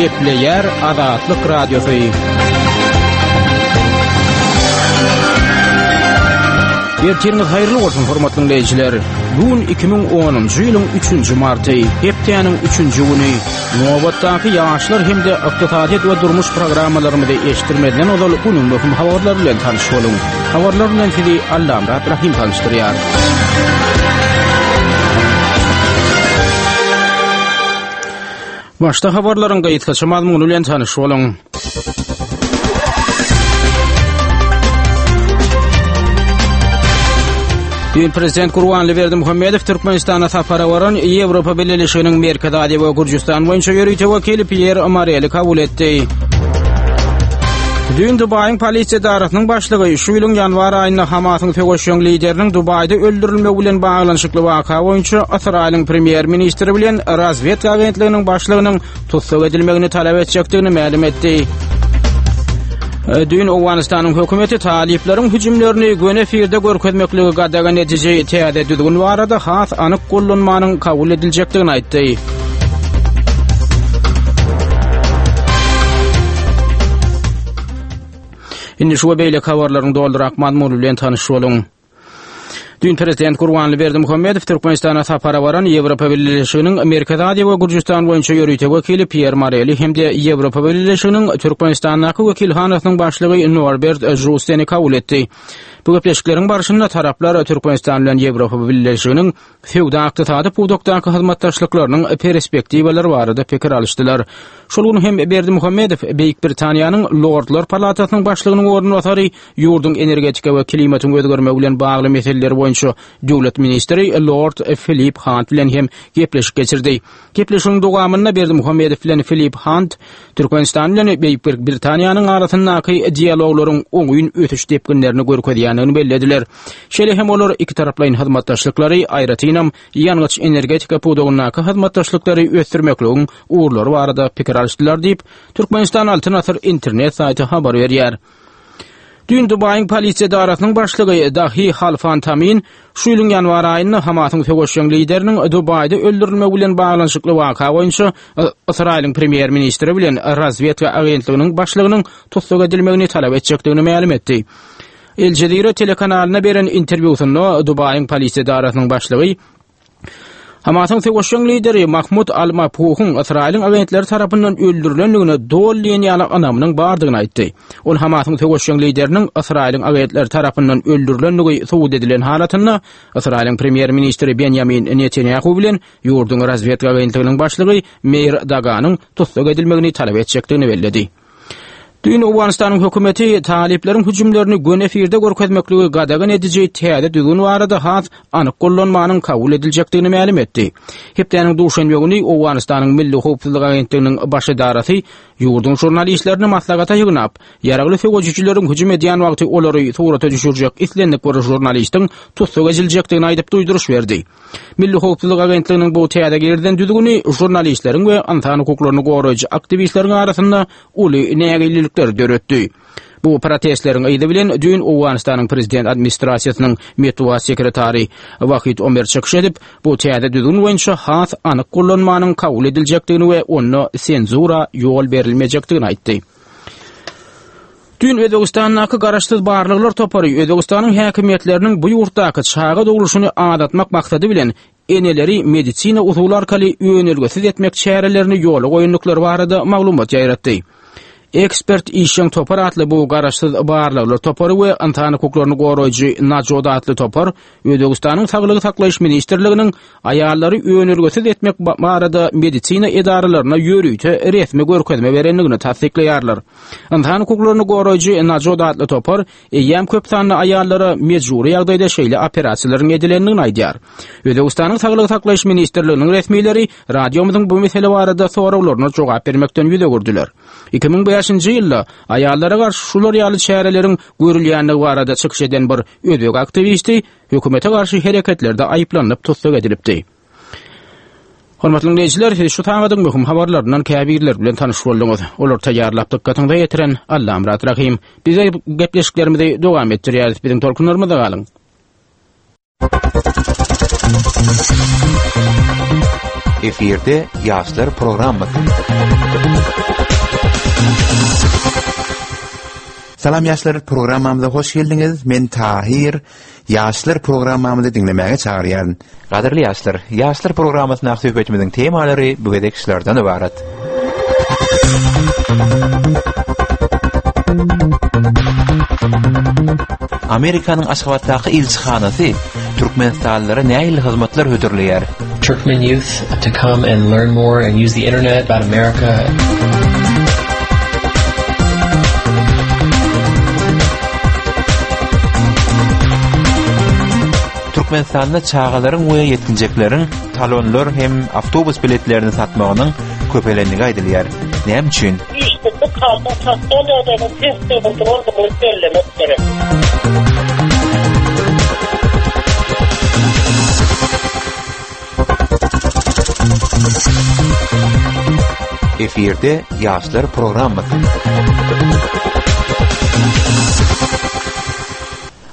Gepleýär Azatlyk Radiosy. Ertiriňiz haýyrly bolsun, hormatly diňleýjiler. Bu gün 2010-njy ýylyň 3-nji marty, hepdäniň 3-nji güni. Nobatdaky ýaşlar hem-de ykdysadyýet we durmuş programmalarymyzy eşitdirmezden ozal günüň möhüm habarlary bilen tanyş boluň. Habarlar bilen sizi Allamyrat Rahym tanyşdyrýar. Başda habarlaryň gysgaça mazmuny bilen tanyş boluň. Düýn prezident Gurbanly Berdimuhamedow Türkmenistana sapara baran Ýewropa Bileleşiginiň Merkezi Aziýa we Gürjüstan boýunça ýörite wekili Pýer Mareli kabul etdi. Düýn Dubaýyň polisiýa edarasynyň başlygy şu ýylyň ýanwar aýynda Hamasyň söweşjeň lideriniň Dubaýda öldürilmegi bilen baglanyşykly waka boýunça Ysraýylyň premýer-ministri bilen razwedka agentliginiň başlygynyň tussag edilmegini talap etjekdigini mälim etdi. Düýn Owganystanyň hökümeti talyplaryň hüjümlerini göni efirde görkezmekligi gadagan ediji täze düzgün barada has anyk gollanmanyň kabul ediljekdigini aýtdy. Indi şu we beýleki habarlaryň dolurak mazmuny bilen tanyş boluň. Düýn prezident Gurbanly Berdimuhamedow Türkmenistana sapara baran Ýewropa Bileleşiginiň Merkezi Aziýa we Gürjüstan boýunça ýörite wekili Pýer Moreli hem-de Ýewropa Bileleşiginiň Türkmenistandaky wekilhanasynyň başlygy Norbert Žusteni kabul etdi. Bu gepleşikleriň barşynda taraplar Türkmenistan bilen Ýewropa Bileleşiginiň söwda-ykdysady pudakdaky hyzmatdaşlyklarynyň perspektiwalary barada pikir alyşdylar. Şol gün hem Berdimuhamedow Beýik Britaniýanyň Lordlar palatasynyň başlygynyň orunbasary, ýurduň energetika we klimatyň özgermegi bilen bagly meseleler boýunça döwlet ministri Lord Filip Hunt bilen hem gepleşik geçirdi. Gepleşigiň dowamynda Berdimuhamedow bilen Filip Hunt Türkmenistan bilen Beýik Britaniýanyň arasyndaky dialoglaryň oňyn ösüş depginlerini görkezýändigini bellediler. Şeýle hem olar ikitaraplaýyn hyzmatdaşlyklary, aýratynam, ýangyç-energetika pudagyndaky hyzmatdaşlyklary ösdürmekligiň ugurlary barada pikir alyşdylar diýip, Türkmenistan Altyn Asyr internet saýty habar berýär. Düýn Dubaýyň polisiýa edarasynyň başlygy Dahi Halfan Tamin şu ýylyň ýanwar aýynda Hamasyň söweşjeň lideriniň Dubaýda öldürilmegi bilen baglanyşykly waka boýunça Ysraýylyň premýer-ministri bilen razwedka agentliginiň başlygynyň tussag edilmegini talap etjekdigini mälim etdi. El Jazeera telekanalyna beren interwýusynda Dubaýyň polisiýa edarasynyň başlygy Hamasyň söweşjeň lideri Mahmud al-Mabhuhyň Ysraýylyň agentleri tarapyndan öldürilendigine doly diýen ýaly ynamynyň bardygyny aýtdy. Ol Hamasyň söweşjeň lideriniň Ysraýylyň agentleri tarapyndan öldürilendigi subut edilen halatynda Ysraýylyň premýer-ministri Benýamin Netanýahu bilen ýurduň razwedka agentliginiň başlygy Meir Daganyň tussag edilmegini talap etjekdigini belledi. Düýn Owganystanyň hökümeti talyplaryň hüjümlerini göni efirde görkezmekligi gadagan ediji täze düzgün barada has anyk gollanmanyň kabul ediljekdigini mälim etdi. Hepdäniň duşenbe güni Owganystanyň Milli howpsuzlyk agentliginiň baş edarasy ýurduň žurnalistlerini maslahata ýygnap, ýaragly söweşijileriň hüjüm edýän wagty olary surata düşürjek islendik bir žurnalistiň tussag ediljekdigini aýdyp duýduryş berdi. Milli howpsuzlyk agentliginiň bu täze girizen düzgüni žurnalistleriň we ynsan hukuklaryny goraýjy aktiwistleriň arasynda uly nägilelikleri döretdi. Bu protestleriň yzy bilen düýn Owganystanyň prezident administrasiýasynyň metbugat sekretary Wahid Omer çykyş edip, bu täze düzgün boýunça has anyk gollanmanyň kabul ediljekdigini we onda senzura ýol berilmejekdigini aýtdy. Düýn Özbegistandaky garaşsyz barlaglar topary Özbegistanyň häkimiýetleriniň bu ýurtdaky çaga dogluşyny azaltmak maksady bilen eneleri medisina usuly arkaly önelgesiz etmek çärelerini ýola goýandyklary barada maglumat ýaýratdy. Ekspert işjeň topar atly bu garaşsyz barlaglar topary we ynsan hukuklaryny goraýjy Najot atly topar Özbegistanyň Saglygy saklaýyş ministrliginiň aýallary önelgesiz etmek barada medisina edaralaryna ýörite resmi görkezme berendigini tassyklaýarlar. Ynsan hukuklaryny goraýjy Najot atly topar eýýäm köp sanly aýallara mejbury ýagdaýda şeýle operasiýalaryň edilendigini aýdýar. Özbegistanyň Saglygy saklaýyş ministrliginiň resmileri radiomyzyň bu mesele barada soraglaryna jogap bermekden ýüz öwürdiler. 2005-nji ýylda aýallara garşy şular ýaly çäreleriň görülýändigi barada çykyş eden bir özbek aktiwisti hökümete garşy hereketlerde aýyplanyp tussag edilipdi. Hormatly diňleýjiler, siz şu sagadyň möhüm habarlaryndan käbirleri bilen tanyş bolduňyz. Olary taýýarlap dykgatyňyza ýetiren Allamyrat Rahym. Biz gepleşiklerimizi dowam etdirýäris. Biziň tolkunlarymyzda galyň. Efirde ýaşlar programmasy. Salam ýaşlar programmamyza hoş geldiňiz. Men Tahir. Ýaşlar programmamyzy diňlemäge çagyrýaryn. Gadyrly ýaşlar, Ýaşlar programmasyndaky söhbetimiziň temalary bu gezek şulardan ybarat. Amerikanyň Aşgabatdaky ilçihanasy türkmenistanlylara nähili hyzmatlar hödürleýär? Turkmen youth to come and learn more and use the internet about America. Türkmenistanda çagalaryň we ýetginjekleriň talonlar hem awtobus biletlerini satmagynyň köpelendigi aýdylýar. Näme üçin? Işsizlik halkyň sosial ýagdaýynyň pes durandygyny bellemek gerek. Efirde ýaşlar programmasy.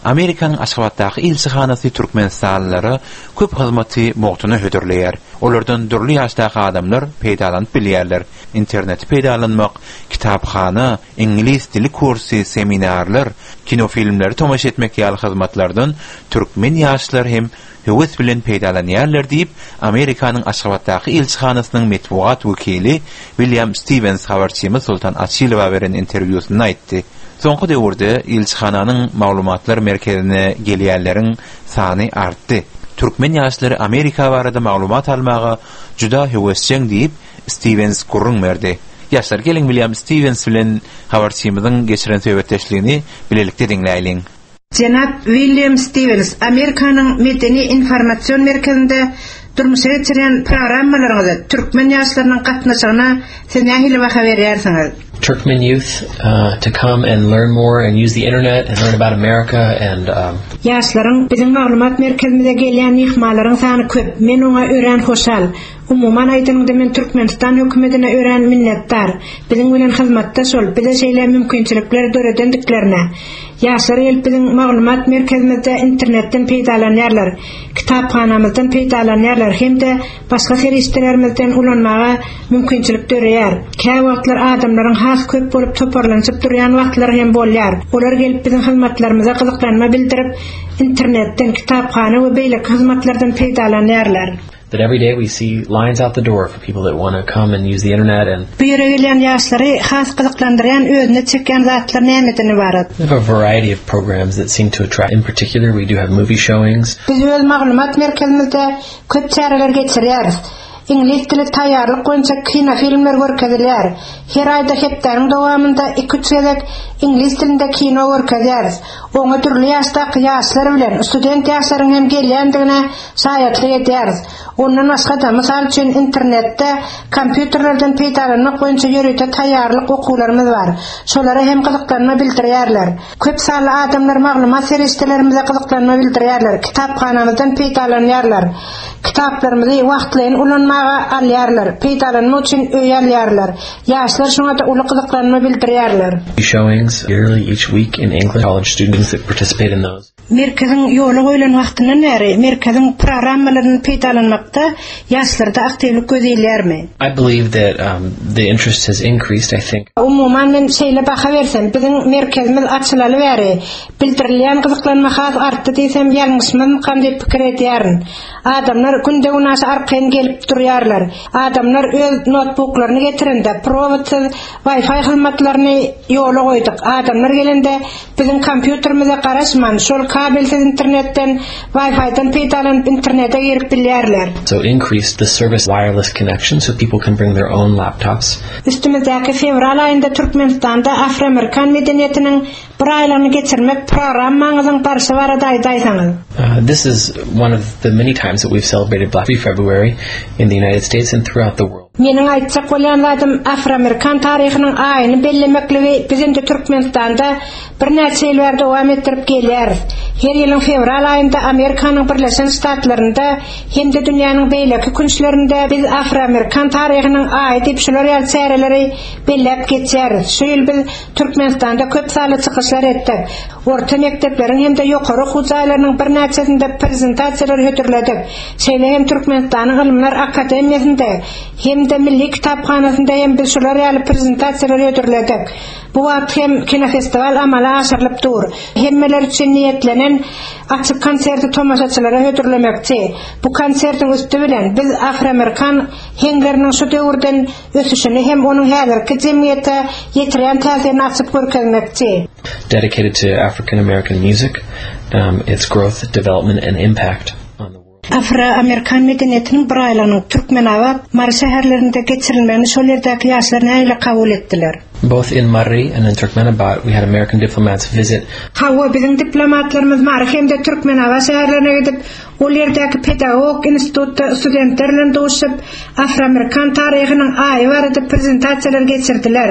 Amerikanyň Aşgabatdaky ilçihanasy türkmenistanlylara köp hyzmaty mugtuna hödürleýär. Olardan dürli ýaşdaky adamlar peýdalanyp bilýärler. Interneti peýdalanmak, kitaphana, iňlis dili kursy, seminarlar, kinofilmleri tomaşa etmek ýaly hyzmatlardan türkmen ýaşlary hem höwes bilen peýdalanýarlar diýip, Amerikanyň Aşgabatdaky ilçihanasynyň metbugat wekili Wilýam Stiwens habarçymyz Soltan Açylowa beren interwýusynda aýtdy. Soňky döwürde ilçihananyň maglumatlar merkezine gelýänleriň sany artdy. Türkmen ýaşlary Amerika barada maglumat almaga juda höwesjeň diýip, Stiwens gürrüň berdi. Ýaşlar, geliň Wilýam Stiwens bilen habarçymyzyň geçiren söhbetdeşligini bilelikde diňläýliň. Jenap William Stiwens, Amerikanyň Medeni-informasion merkezinde durmuşa geçirýän programmalaryňyza türkmen ýaşlarynyň gatnaşygyna siz nähili baha berýärsiňiz? Turkmen youth to come and learn more and use the internet and learn about America and. Ýaşlaryň biziň maglumat merkezimize gelýän myhmanlaryň sany köp, men oňa örän hoşal. Umuman aýdanyňda men Türkmenistan hökümetine örän minnetdar, biziň bilen hyzmatdaş bolup, bize şeýle mümkinçilikleri döredendiklerine. Ýaşlar gelip biziň maglumat merkezimizde internetden peýdalanýarlar, kitaphanamyzdan peýdalanýarlar hem-de başga serişdelerimizden ulanmaga mümkinçilik döreýär. Käwagtlar adamlaryň has köp bolup toparlanyşyp durýan wagtlary hem bolýar. Olar gelip biziň hyzmatlarymyza gyzyklanma bildirip, internetden, kitaphana we beýleki hyzmatlardan peýdalanýarlar. That every day we see lines out the door for people that want to come and use the internet and. Bu ýere gelýän ýaşlary has gyzyklandyrýan, özüne çekýän zatlar nämeden ybarat? We have a variety of programs that seem to attract, in particular we do have movie showings. Biz öz maglumat merkezimizde köp çäreler geçirýäris. Iňlis dili taýýarlyk boýunça kinofilmler görkezilýär. Her aýda hepdäniň dowamynda iki-üç gezek iňlis dilinde kino görkezýäris. Oňa dürli ýaşdaky ýaşlar bilen student ýaşlaryň hem gelýändigine şaýatlyk edýäris. Ondan başga-da, mysal üçin, internetde kompýuterlerden peýdalanmak boýunça ýörite taýýarlyk okuwlarymyz bar. Şolara hem gyzyklanma bildirýärler. Köp sanly adamlar maglumat serişdelerimize gyzyklanma bildirýärler, kitaphanamyzdan peýdalanýarlar. Kitaplarymyzy wagtlaýyn ulanmaga alýarlar, peýdalanmak üçin öýe alýarlar. Ýaşlar şoňa-da uly gyzyklanma bildirýärler. Showings yearly each week in English college students that participate in those. Merkeziň ýola goýlan wagtyndan bäri merkeziň programmalaryny peýdalanmakda ýaşlarda aktiwlik göz ilýärmi? I believe that the interest has increased, I think. Umuman men şeýle baha bersem, biziň merkezimiz açylaly bäri bildirilýän gyzyklanma has artdy diýsem ýalňyşmazmykam diýip pikir edýärin. Adamlar günde-günaşa arkaýyn gelip durýarlar. Adamlar öz notbuklaryny getirende prowodsyz Wi-Fi hyzmatlaryny ýola goýduk. Adamlar gelende Biziň kompýuterimize garaşman, şol kabelsiz internetden, Wi-Fi-den peýdalanyp internete girip bilýärler. So increase the service wireless connection so people can bring their own laptops. Üstümizdäki fewral aýynda Türkmenistanda afroamerikan medeniýetiniň bir aýlygyny geçirmek programmaňyzyň barşy barada aýdaýsaňyz. This is one of the many times that we've celebrated Black February in the United States and throughout the world. Meniň aýtjak bolýan zadym afroamerikan taryhynyň aýyny bellemekligi biz indi Türkmenistanda birnäçe ýyl bäri dowam etdirip gelýäris. Her ýylyň fewral aýynda Amerikanyň Birleşen Ştatlarynda hem-de dünýäniň beýleki künçlerinde biz afroamerikan taryhynyň aýy diýip şular ýaly çäreleri belläp geçýäris. Şu ýyl biz Türkmenistanda köp sanly çykyşlar etdik. Orta mekdepleriň hem-de ýokary okuw jaýlarynyň birnäçesinde prezentasiýalar hödürledik. Şeýle hem Türkmenistanyň Ylymlar akademiýasynda hem-de Milli kitaphanasynda hem biz şular ýaly prezentasiýalar hödürledik. Bu wagt hem kinofestiwal amala aşyrylyp dur. Hemmeler üçin niýetlenen açyk konserti tomaşaçylara hödürlemekçi. Bu konsertiň üsti bilen biz afroamerikan heňleriniň şu döwürden ösüşini hem onuň häzirki jemgyýete ýetirýän täsirini açyp görkezmekçi. Dedicated to African American music, um, its growth, development and impact on the world. Afro-amerikan medeniýetiniň bir aýlygynyň Türkmenabat, Mary şäherlerinde geçirilmegini şol ýerdäki ýaşlar nähili kabul etdiler? Both in Mary and in Turkmenabat we had American diplomats visit. Hawa, biziň diplomatlarymyz Mary hem-de Türkmenabat şäherlerine gidip, Ol ýerdäki pedagogik institutda studentler bilen duşup, afroamerikan taryhynyň aýy barada prezentasiýalar geçirdiler.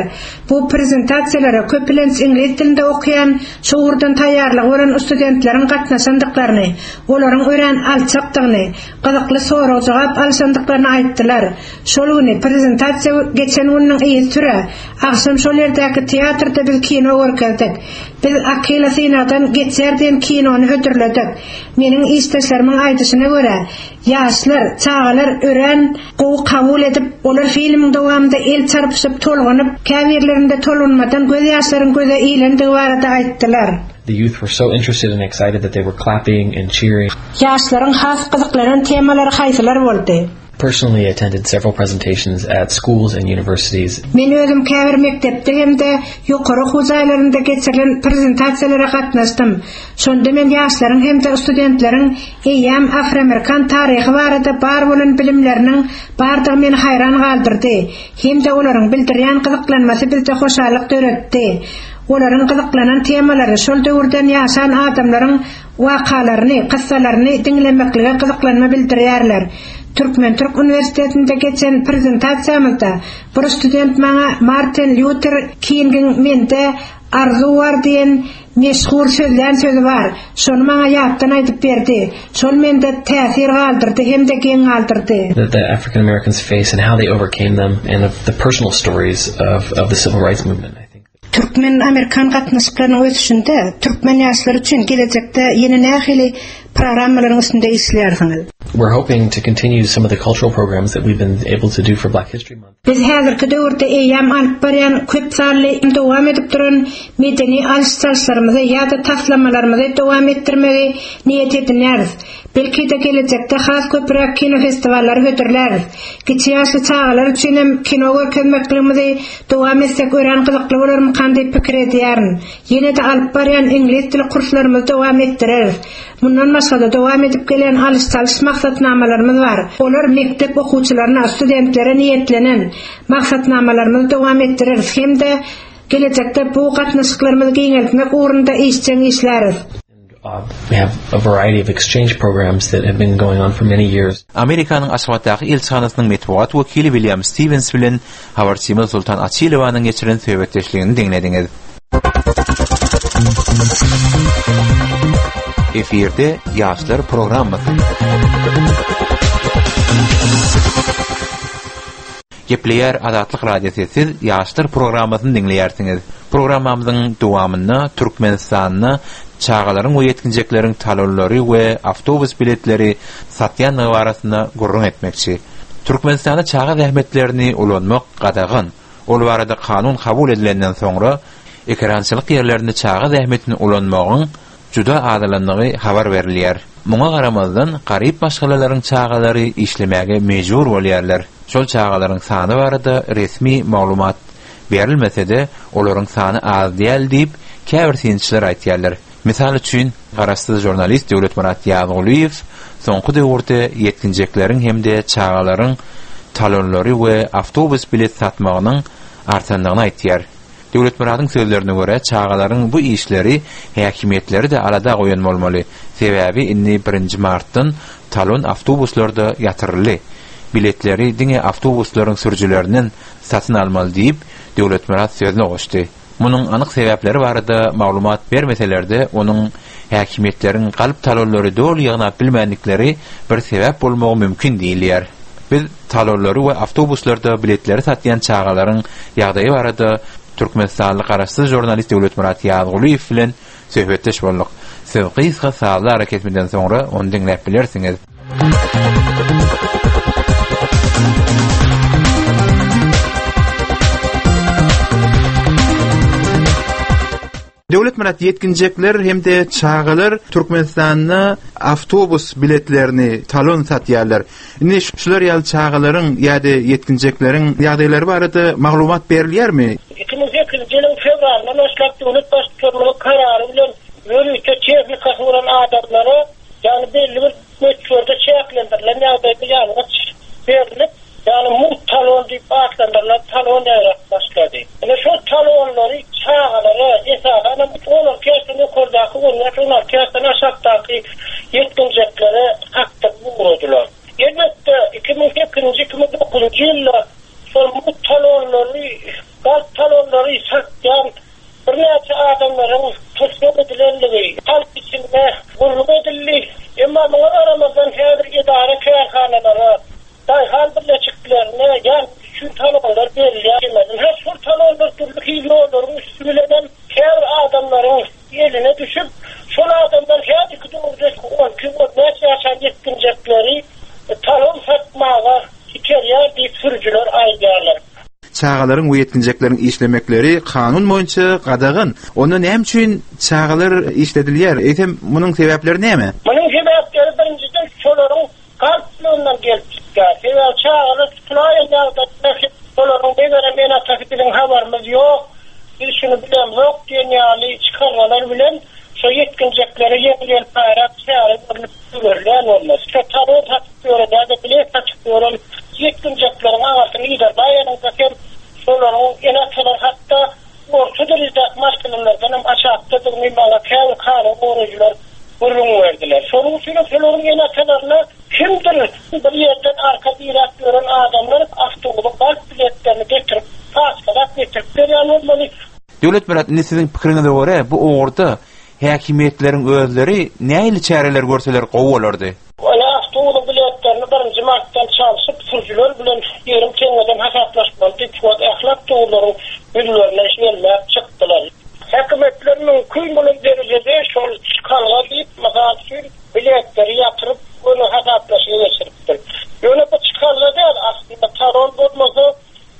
Bu prezentasiýalara köplenç iňlis dilinde okaýan, şu ugurdan taýýarlygy bolan studentleriň gatnaşandyklaryny, olaryň örän alçakdygyny, gyzykly sorag-jogap alyşandyklaryny aýtdylar. Şol güni, prezentasiýa geçen gününiň yzysüre, agşam şol ýerdäki teatrda biz kino görkezdik. Biz Akila synagdan geçýär diýen kinony hödürledik. Meniň işdeşlerimiň aýdyşyna görä, ýaşlar, çagalar örän gowy kabul edip, olar filmiň dowamynda el çarpyşyp, tolgunyp, käbirlerinde tolgunmadan gözýaşlaryň göze ilendigi barada aýtdylar. The youth were so interested and excited that they were clapping and cheering. Ýaşlaryň has gyzyklanan temalary haýsylar boldy? Personally attended several presentations at schools and universities. Men özüm käbir mekdepde hem-de ýokary okuw jaýlarynda geçirilen prezentasiýalara gatnaşdym. Şonda men ýaşlaryň hem-de studentleriň eýýäm afroamerikan taryhy barada bar bolan bilimleriniň bardygy meni haýran galdyrdy hem-de olaryň bildirýän gyzyklanmasy bizde hoşallyk döretdi. Olaryň gyzyklanan temalary şol döwürden ýaşan adamlaryň wakalaryny, kyssalaryny diňlemeklige gyzyklanma bildirýärler. Türkmen-türk uniwersitetinde geçen prezentasiýamyzda bir student maňa Martin Lýuter Kingiň Mende arzuw bar diýen meşhur sözlän sözi bar, şony maňa ýatdan aýdyp berdi. Şol mende täsir galdyrdy hem-de geň galdyrdy. That the African Americans face and how they overcame them and of the personal stories of of the civil rights movement I think. Türkmen-amerikan gatnaşyklarynyň ösüşinde türkmen ýaşlary üçin gelejekde ýene nähili programmalaryň üstünde işleýärsiňiz? We're hoping to continue some of the cultural programs that we've been able to do for Black History Month. Biz häzirki döwürde eýýäm alyp barýan köp sanly dowam edip duran medeni alyş-çalyşlarymyzy ýa-da taslamalarymyzy dowam etdirmegi niýet edinýäris. Belki-de gelejekde has köpräk kinofestiwallary hödürläris. Kiçi ýaşly çagalar üçin hem kino görkezmekligimizi dowam etsek örän gyzykly bolarmykan diýip pikir edýärin. Ýene-de alyp barýan iňlis dili kurslarymyzy dowam etdireris. Mundan başga-da dowam edip gelýän alyş-çalyş maksatnamalarymyz bar. Olar mekdep okuwçylaryna, studentlere niýetlenen maksatnamalarymyzy dowam etdireris hem-de gelejekde bu gatnaşyklarymyzy giňeltmek ugrunda işjeň işläris. We have a variety of exchange programs that have been going on for many years. Amerikanyň Aşgabatdaky ilçihanasynyň metbugat wekili Wilýam Stiwens bilen habarçymyz Sultan Açylowanyň geçiren söhbetdeşligini diňlediňiz. Efirde Ýaşlar programmasy. Gepleýär Azatlyk Radiosy siz Ýaşlar programmasyny diňleýärsiňiz. Programmamyzyň dowamynda Türkmenistanda çagalaryň we ýetginjekleriň talonlary we awtobus biletleri satýandygy barasynda gürrüň etmekçi. Türkmenistanda çaga zähmetlerini ulanmak gadagan. Ol barada kanun kabul edilenden soňra ekerançylyk ýerlerinde çaga zähmetini ulanmagyň juda azalandygy habar berilýär. Muňa garamazdan, garyp maşgalalaryň çagalary işlemäge mejbur bolýarlar. Şol çagalaryň sany barada resmi maglumat berilmese-de, olaryň sany az däl diýip, käbir synçylar aýtýarlar. Mysal üçin, garaşsyz žurnalist Döwletmyrat Ýazgulyýew soňky döwürde ýetginjekleriň hem-de çagalaryň talonlary we awtobus bilet satmagynyň artandygyny aýtýar. Döwletmyradyň sözlerine görä, çagalaryň bu işleri häkimiýetleri-de alada goýan bolmaly. Sebäbi indi birinji martdan talon awtobuslarda ýatyryldy. Biletleri diňe awtobuslaryň sürüjilerinden satyn almaly diýip, Döwletmyrat sözüne goşdy. Munuň anyk sebäpleri barada maglumat bermeseler-de, onuň häkimiýetleriň galp talonlary doly ýygnap bilmändikleri bir sebäp bolmagy mümkin diýilýär. Biz talonlary we awtobuslarda biletleri satýan çagalaryň ýagdaýy barada türkmenistanly garaşsyz žurnalist Döwletmyrat Ýazgulyýew bilen söhbetdeş bolduk. Siz gysga sazly arakesmeden soňra ony diňläp bilersiňiz. Döwletmyrat ýetginjekler hem-de çagalar Türkmenistanda awtobus biletlerini talon satýarlar. Indi şular ýaly çagalaryň ýa-da ýetginjekleriň ýagdaýlary barada maglumat berilýärmi? 2008-nji ýylyň fewralyndan başlap döwlet Baştutanymyzyň karary bilen ýörite tehnikasy bolan adamlara, ýagny belli bir möçberde çäklendirilen ýagdaýda ýangyç berlip, ýagny mugt talon diýip atlandyrylan talon ýaýrap başlady. Ine şol talonlary çagalara, esasanam 16 ýaşdan ýokardaky, on bäş, 16 ýaşdan aşakdaky ýetginjeklere satdyryp ugradylar. Elbetde, 2008-nji, 2009-njy ýylda şol mugt talonlary, galp talonlary satýan birnäçe adamlaryň tussag edilendigi halk içinde gürrüň edildi. Emma muňa garamazdan häzir edara-kärhanalara, daýhan birleşiklerine ýangyç üçin talonlar berilýär. Hä, şol talonlar dürli hili ýollaryň üsti bilenem käbir adamlaryň eline düşüp, şol adamlar häzirki döwürde on iki, on bäş ýaşan ýetginjekleri talon satmaga iterýär diýip sürüjiler aýdýarlar. Çagalaryň we ýetginjekleriň işlemekleri kanun boýunça gadagan. Onda näme üçin çagalar işledilýär? Eýsem, munuň sebäpleri näme? Munuň sebäpleri birinjiden şolaryň galplygyndan gelip çykýar. Sebäbi çagalar tutulaýan ýagdaýynda hem olaryň megerem ene-atasy biziň habarymyz ýok, biz şuny bilemzok diýen ýaly çykalgalar bilen şo ýetginjeklere ýeňil-ýelpaýrak çäre görlüp goýberilýän bolmaly. Şo talon satyp ýören ýa-da bilet satyp ýören ýetginjekleriň agasyny yzarlaýanyňda hem şolaryň ene-atalary hatda orta derejedäki maşgalalardan hem aşakdadygyny maňa käbir kanun goraýjylar gürrüň berdiler. Şonuň üçin hem şolaryň ene-atalaryna kimdir bir ýerden arka diräp ýören adamlar awtobusyň galp biletlerini getirip, paçkalap getirip berýän bolmaly. Döwletmyrat, indi siziň pikiriňize görä, bu ugurda häkimiýetleriň özleri nähili çäreler görseler gowy bolardy? Ol awtobusyň biletlerini birinji martdan çalşyp, sürüjiler bilen ýigrimi teňňeden hasaplaşmaly diýip, şu wagt ähli awtobuslaryň ýüzlerine ýelmäp çykdylar. Häkimiýetler mümkin bolan derejede şol çykalga diýip, mysal üçin, biletleri ýatyryp, göni hasaplaşyga geçiripdir. Ýöne bu çykalga däl, aslynda talon bolmasa,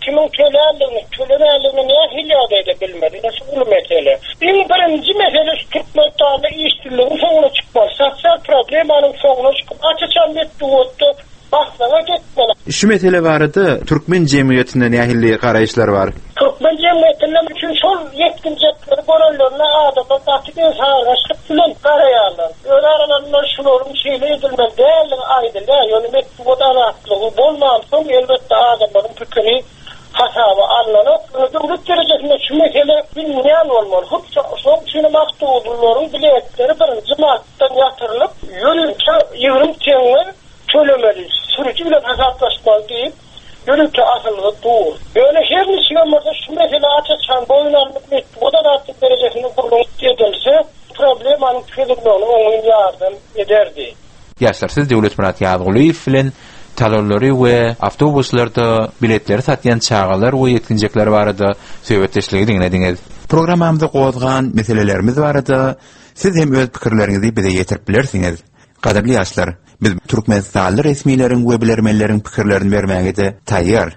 Kimiň töländigini, tölemändigini nähili ýagdaýda bilmeli? Ine şu uly mesele. Iň birinji mesele şu Türkmenistanda işsizligiň soňuna çykmaly, sosial problemanyň soňuna çykyp, aç-açan metbugatda maslahat etmeli. Şu mesele barada türkmen jemgyýetinde nähili garaýyşlar bar? Türkmen jemgyýetinde üçin şol ýetginjekleri görenlerinde adamlar gaty bensargaçlyk bilen garaýarlar. Öz aralarynda şularyň şeýle edilmeli däldigi aýdylýar, ýöne metbugat azatlygy bolmansoň, elbetde, adamlaryň pikiri hasaba alnanok. Ýöne döwlet derejesinde şu mesele bilinýän bolmaly. Hut şonuň üçin hem awtobuslaryň biletleri birinji martdan ýatyrylyp, ýörite 20 teňňe tölemeli, sürüji bilen hasaplaşmaly diýip, ýörite asylgy dur. Ýöne her niçigem bolsa şu mesele aç-açan boýun alnyp, metbugat azatlygy derejesinde gürrüň edilse, problemanyň çözülmegine oňyn ýardam ederdi. Ýaşlar siz Döwletmyrat Ýazgulyýew bilen talonlary we awtobuslarda biletleri satýan çagalar we ýetginjekler barada söhbetdeşligi diňlediňiz. Programmamyzda gozgan meselelerimiz barada siz hem öz pikirleriňizi bize ýetirip bilersiňiz. Gadyrly ýaşlar, biz türkmenistanly resmileriň we bilermenleriň pikirlerini bermäge-de taýýar.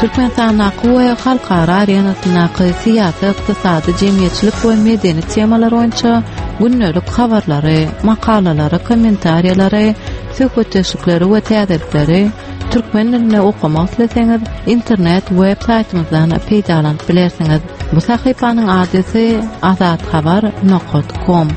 Türkmenistandaky we halkara arenasyndaky syýasy, ykdysady, jemgyýetçilik we medeni temalar boýunça gündelik habarlary, makalalary, kommentariýalary, söhbetdeşlikleri we täzelikleri türkmen dilinde okamak isleseňiz, internet web saýtymyzdan peýdalanyp bilersiňiz. Bu sahypanyň adresi azathabar nokat kom.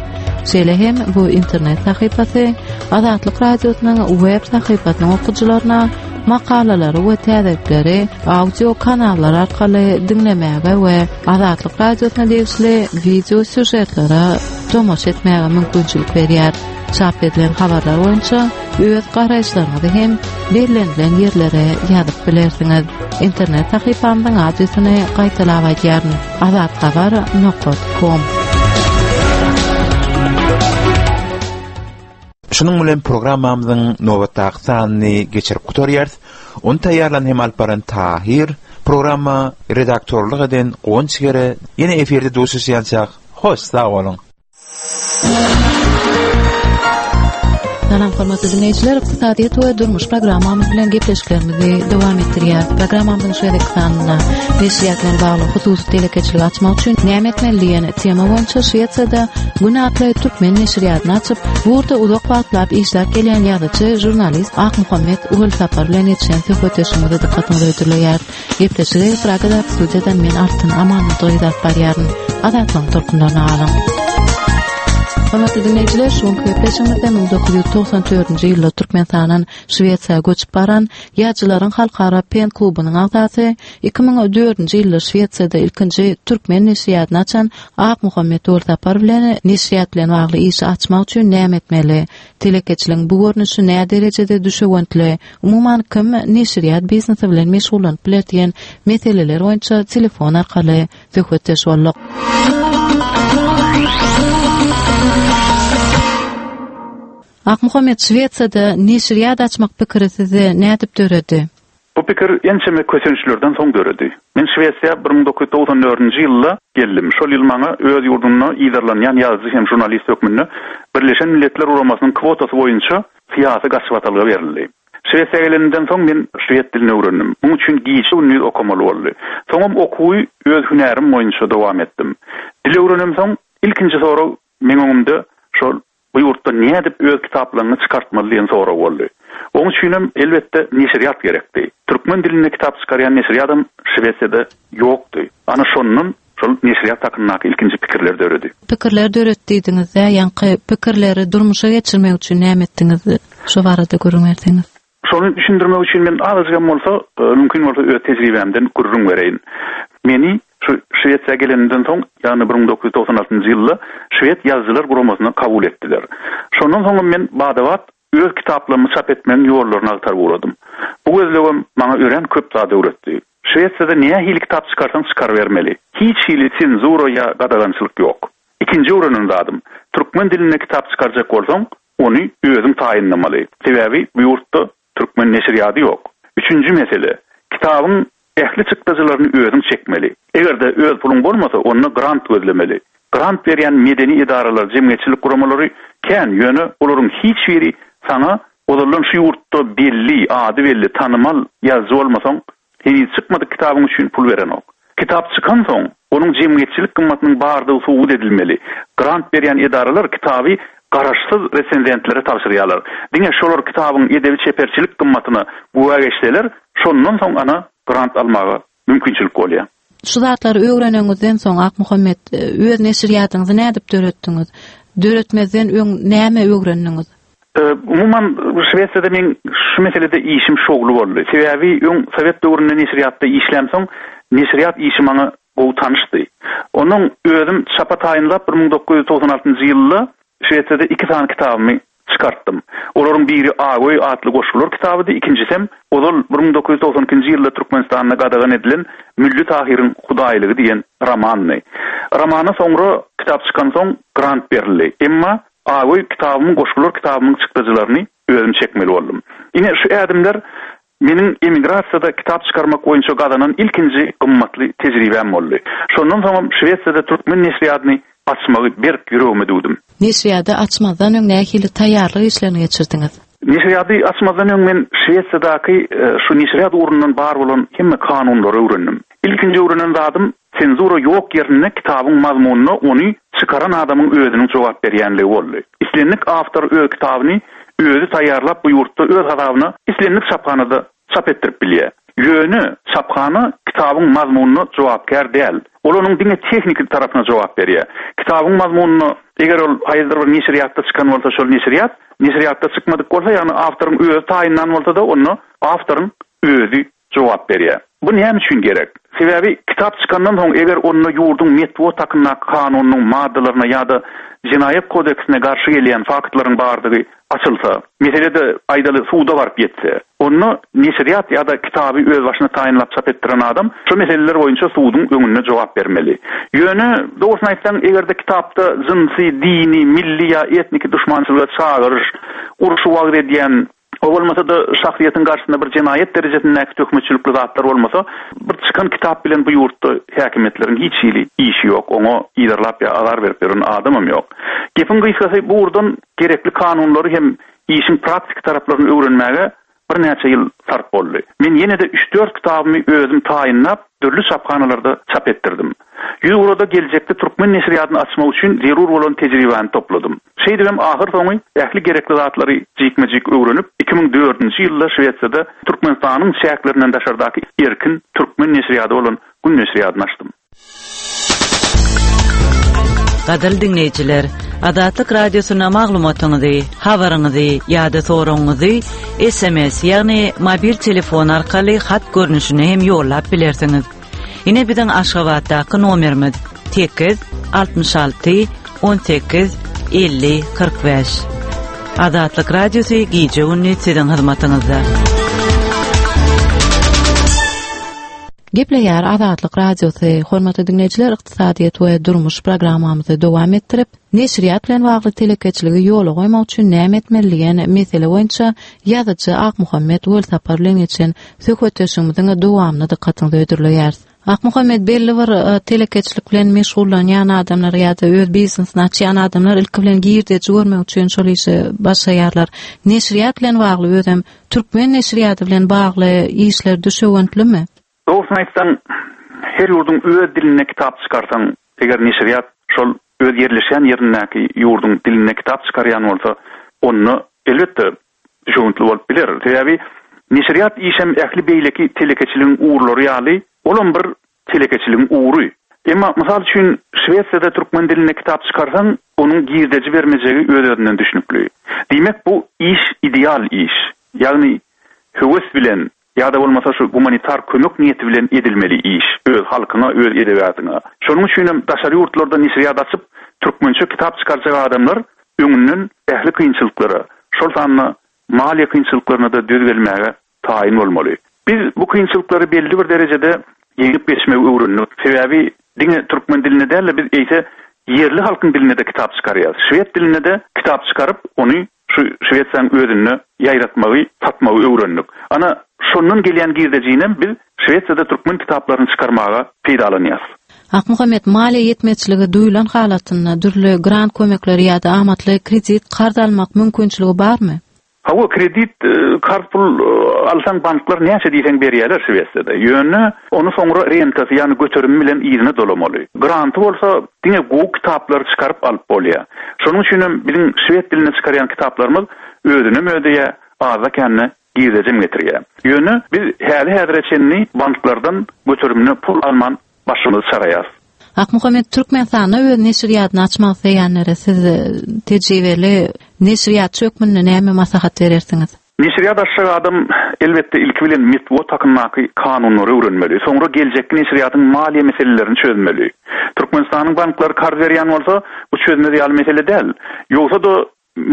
Şeýle hem bu internet sahypasy Azatlyk Radiosynyň web sahypasynyň okyjylaryna makalalary we täzelikleri audio kanallar arkaly diňlemäge we Azatlyk Radiosyna degişli wideo sýužetlere. tomaşa etmäge mümkinçilik berýär. Çap edilen habarlar boýunça öz garaýyşlaryňyzy hem bellenilen ýerlere ýazyp bilersiňiz. Internet sahypamyzyň adresini gaýtalap aýdýaryn, azathabar nokat kom. Şunuň bilen programmamyzyň nobatdaky sanyny geçirip gutarýarys. Ony taýýarlan hem alyp baran Tahyr, programma redaktorlyk eden Guwanç Gere. Ýene efirde duşuşýançak, hoş sag boluň! Salam hormatly dinleýjiler, ykdysadyýet we durmuş programmamyz bilen gepleşiklerimizi dowam etdirýäris. Programmamyzyň şu gezekki sanynda neşirýat bilen bagly hususy telekeçiligi açmak üçin näme etmeli diýen tema boýunça Şwesiýada Gün atly türkmen neşirýatyny açyp, bu ugurda uzak wagtlap işläp gelýän ýazyjy, žurnalist Akmuhammet Welsapar bilen geçiren söhbetdeşligimizi dykgatyňyza hödürleýäris. Gepleşigi Pragadaky studiýadan men Altyn Amanmyradowa alyp barýaryn. Azatlygyň tolkunlaryna galyň. Hormatly diňleýjiler, şu günki gepleşigimizde 1994-nji ýylda Türkmenistandan Şwesiýa göçüp baran Ýazyjylaryň halkara PEN klubunyň agzasy, 2004-nji ýylda Şwesiýada ilkinji türkmen neşirýatyny açan Akmuhammet Welsapar bilen neşirýat bilen bagly işi açmak üçin näme etmeli? Telekeçiligiň bu görnüşi näderejede düşewüntli? Umuman, kim neşirýat biznesi bilen meşgullanyp biler diýen meseleler boýunça telefon arkaly söhbetdeş bolduk. Akmuhammet, Şwesiýada neşirýat açmak pikiri sizde nädip döredi? Bu pikir ençeme kösençlerden soň döredi. Men Şwesiýa 1994-nji ýylda geldim. Şol ýyl maňa öz ýurdumda yzarlanýan ýazyjy hem žurnalist hökmünde Birleşen Milletler Guramasynyň kwotasy boýunça syýasy gaçybatalga berildi. Şwesiýa gelenimden soň men şwed dilini öwrendim. Muň üçin gije-gündiz okamaly boldy. Soňam okuwy öz hünärim boýunça dowam etdim. Dil öwrenemsoň, ilkinji sorag meň öňümde şol Bu ýurtda nädip öz kitaplaryňy çykartmaly diýen sorag boldy. Oň üçinem, elbetde, neşirýat gerekdi. Türkmen dilinde kitap çykarýan neşirýadam Şwesiýada ýokdy. Ana şondan şol neşirýat hakyndaky ilkinji pikirler döredi. Pikirler döretdi diýdiňiz-dä, ýaňky pikirleri durmuşa geçirmek üçin näme etdiňiz? Şo barada gürrüň berseňiz. Şony düşündirmek üçin men azajygam bolsa, mümkin bolsa öz tejribämden gürrüň bereýin. Meni şu Şwesiýa gelenimden soň, ýagny 1996-njy ýylda Şwed ýazyjylar guramasyna kabul etdiler. Şondan soňam men bada-bat öz kitaplarymy çap etmegiň ýollaryny agtaryp ugradym. Bu gözlegem maňa örän köp zat öwretdi. Şwesiýada nähili kitap çykarsaň çykarybermeli. Hiç hili senzura ýa gadagançylyk ýok. Ikinji öwrenen zadym, türkmen dilinde kitap çykarjak bolsaň, Ony özüň taýynlamaly. Sebäbi bu ýurtda türkmen neşirýady ýok. Üçünji mesele, kitabyň ähli çykdajylaryny özüň çekmeli. Eger-de öz puluň bolmasa, onda grant gözlemeli. Grant berýän medeni edaralar, jemgyýetçilik guramalary kän, ýöne olaryň hiç biri saňa ozaldan şu ýurtda belli, ady belli, tanymal ýazyjy bolmasaň, Heniz çykmadyk kitabyň üçin pul berenok. Kitap çykansoň, onuň jemgyýetçilik gymmatynyň bardygy subut edilmeli. Grant berýän edaralar kitaby garaşsyz resenzentlere tabşyrýarlar. Diňe şolar kitabyň edebi-çeperçilik gymmatyna güwä geçseler, şondan soň ana grant almaga mümkinçilik bolýar. Şu zatlary öwreneňizden soň, Akmuhammet, öz neşirýatyňyzy nädip döretdiňiz? Döretmezden öň näme öwrendiňiz? Umuman, Şwesiýada meň şu meselede işim şowly boldy. Sebäbi öň sowet döwründe neşirýatda işlämsoň, neşirýat işi maňa gowy tanyşdy. Onnoň özüm çapa taýynlap 1996-njy ýylda Şwesiýada iki sany kitabymy çykartdym. Olaryň biri Agöý atly goşgular kitabydy, ikinjisem ozal 1992-nji ýylda Türkmenistanda gadagan edilen Mülli Tahyryň hudaýlygy diýen romandy. Romana soňra kitap çykansoň grant berildi. Emma Agöý kitabymyň, goşgular kitabymyň çykdajylaryny özüm çekmeli boldum. Ine, şu ädimler meniň emigrasiýada kitap çykarmak boýunça gazanan ilkinji gymmatly tejribäm boldy. Şondan soňam Şwesiýada türkmen neşirýadyny açmagy berk ýüregime düwdüm. Neşirýady açmazdan öň nähili taýýarlyk işlerini geçirdiňiz? Neşirýady açmazdan öň men Şwesiýadaky şu neşirýat ugrundan bar bolan hemme kanunlary öwrendim. Ilkinji öwrenen zadym Senzura ýok ýerinde kitabyň mazmunyna ony çykaran adamyň özüniň jogap berýänligi boldy. Islendik awtor öz kitabyny özi taýýarlap bu ýurtda öz hasabyna islendik çaphanada çap etdirip bilýär. Ýöne çaphana kitabyň mazmunyna jogapkär däl. Ol onuň diňe tehniki tarapyna jogap berýär. Kitabyň mazmunyna eger ol haýsydyr bir neşirýatda çykan bolsa şol neşirýat, neşirýatda çykmadyk bolsa ýagny awtoryň özi taýynlan bolsa-da onda awtoryň özi jogap berýär. Bu näme üçin gerek? Sebäbi kitap çykandan soň eger onda ýurduň metbugat hakyndaky kanunynyň maddalaryna ýa-da Jenaýat kodeksine garşy gelýän faktlaryň bardygy açylsa, mesele-de aýdaly suda baryp ýetse, onda neşirýat ýa-da kitaby özbaşyna taýynlap çap etdiren adam şo meseleler boýunça suduň öňünde jogap bermeli. Ýöne, dogrusyny aýtsaň, eger-de kitapda jynsy, dini, milli ýa etniki duşmançylyga çagyryş, urşy wagyz edýän, O bolmasa-da şahsyýetiň garşysynda bir jenaýat derejesindäki töhmetçilikli zatlar bolmasa, bir çykan kitap bilen bu ýurtda häkimiýetleriň hiç hili işi ýok, oňa yzarlap ýa azar berip ýören adamam ýok. Gepiň gysgasy, bu ugurdan gerekli kanunlary hem işiň praktiki taraplaryny öwrenmäge birnäçe ýyl sarp boldy. Men ýene-de üç-dört kitabymy özüm taýynlap, dürli çaphanalarda çap etdirdim. Ýüzugrada geljekde türkmen neşirýadyny açmak üçin zerur bolan tejribäni topladym. Şeýdibem ahyrsoňy ähli gerekli zatlary jikme-jik öwrenip, 2004-nji ýylda Şwesiýada Türkmenistanyň çäklerinden daşardaky erkin türkmen neşirýady bolan Gün neşirýadyny açdym. Gadyrly diňleýjiler, Azatlyk Radiosyna maglumatyňyzy, habaryňyzy ýa-da soragyňyzy sms, ýagny mobil telefon arkaly hat görnüşinde hem ýollap bilersiňiz. Ine biziň Aşgabatdaky nomerimiz 8 66 18 50 45. Azatlyk Radiosy gije gündüz siziň hyzmatyňyzda. Gepleýär Azatlyk Radiosy. Hormatly diňleýjiler, ykdysadyýet we durmuş programmamyzy dowam etdirip, Neşirýat bilen bagly telekeçiligi ýola goýmak üçin näme etmeli diýen mesele boýunça ýazyjy Akmuhammet Welsapar bilen geçen söhbetdeşligimiziň dowamyny dykgatyňyza hödürleýäris. Akmuhammet, belli bir e, telekeçilik bilen meşgullanýan adamlar ýa-da öz biznesini açýan adamlar ilki bilen girdeji görmek üçin şol işe başlaýarlar. Neşirýat bilen bagly özem türkmen neşirýady bilen bagly işler düşewüntlimi? Dogrusyny aýtsaň, her ýurduň öz dilinde kitap çykarsaň, eger neşirýat şol öz ýerleşýän ýerindäki ýurduň dilinde kitap çykarýan bolsa, onda, elbetde, düşewüntli bolup biler. Sebäbi neşirýat işem ähli beýleki telekeçiligiň ugurlary ýaly, olam bir telekeçiligiň ugry. Emma, mysal üçin, Şwesiýada türkmen dilinde kitap çykarsaň, onuň girdeji bermejegi öz-özünden düşnükli. Diýmek, bu iş ideal iş. Ýagny, höwes bilen Ýa-da bolmasa şu gumanitar kömek niýeti bilen edilmeli iş, öz halkyňa, öz edebiýatyňa. Şonuň üçinem daşary ýurtlarda neşirýat açyp, türkmençe kitap çykarjak adamlar öňünden ähli kynçylyklara, şol sanda maliýe kynçylyklaryna-da döz gelmäge taýyn bolmaly. Biz bu kynçylyklary belli bir derejede ýeňip geçmegi öwrendik. Sebäbi diňe türkmen dilinde däl-de, biz eýse ýerli halkyň dilinde-de kitap çykarýarys. Şwed dilinde-de kitap çykaryp, ony Şu Şwesiýanyň özünde ýaýratmagy, satmagy öwrendik. Ana, şondan gelýän girdejinem biz Şwesiýada türkmen kitaplaryny çykarmaga peýdalanýas. Akmuhammet, maliýe ýetmezçiligi duýlan halatynda dürli grant kömekleri ýa-da amatly kredit karz almak mümkinçiligi barmy? Hawa, kredit, karz pul alsaň banklar näçe diýseň berýärler Şwesiýada. Ýöne ony soňra rentasy, ýagny göterimi bilen yzyna dolamaly. Granty bolsa Diňe gowy kitaplary çykaryp alyp bolýar. Şonuň üçinem biziň şwed dilinde çykarýan kitaplarymyz özünem ödeýär, azda-kände girdejem getirýär. Ýöne biz häli-häzire çenli banklardan göterimine pul alman başymyzy çaraýarys. Akmuhammet, Türkmenistanda öz neşirýadyny açmak isleýänlere siz tejribeli neşirýatçy hökmünde näme maslahat berersiňiz? Neşirýat açjak adam, elbetde, ilki bilen metbugat hakyndaky kanunlary öwrenmeli, soňra geljekki neşirýatyň maliýe meselelerini çözmeli. Türkmenistanyň banklary karz berýän bolsa, bu çözmez ýaly mesele däl. Ýogsa-da,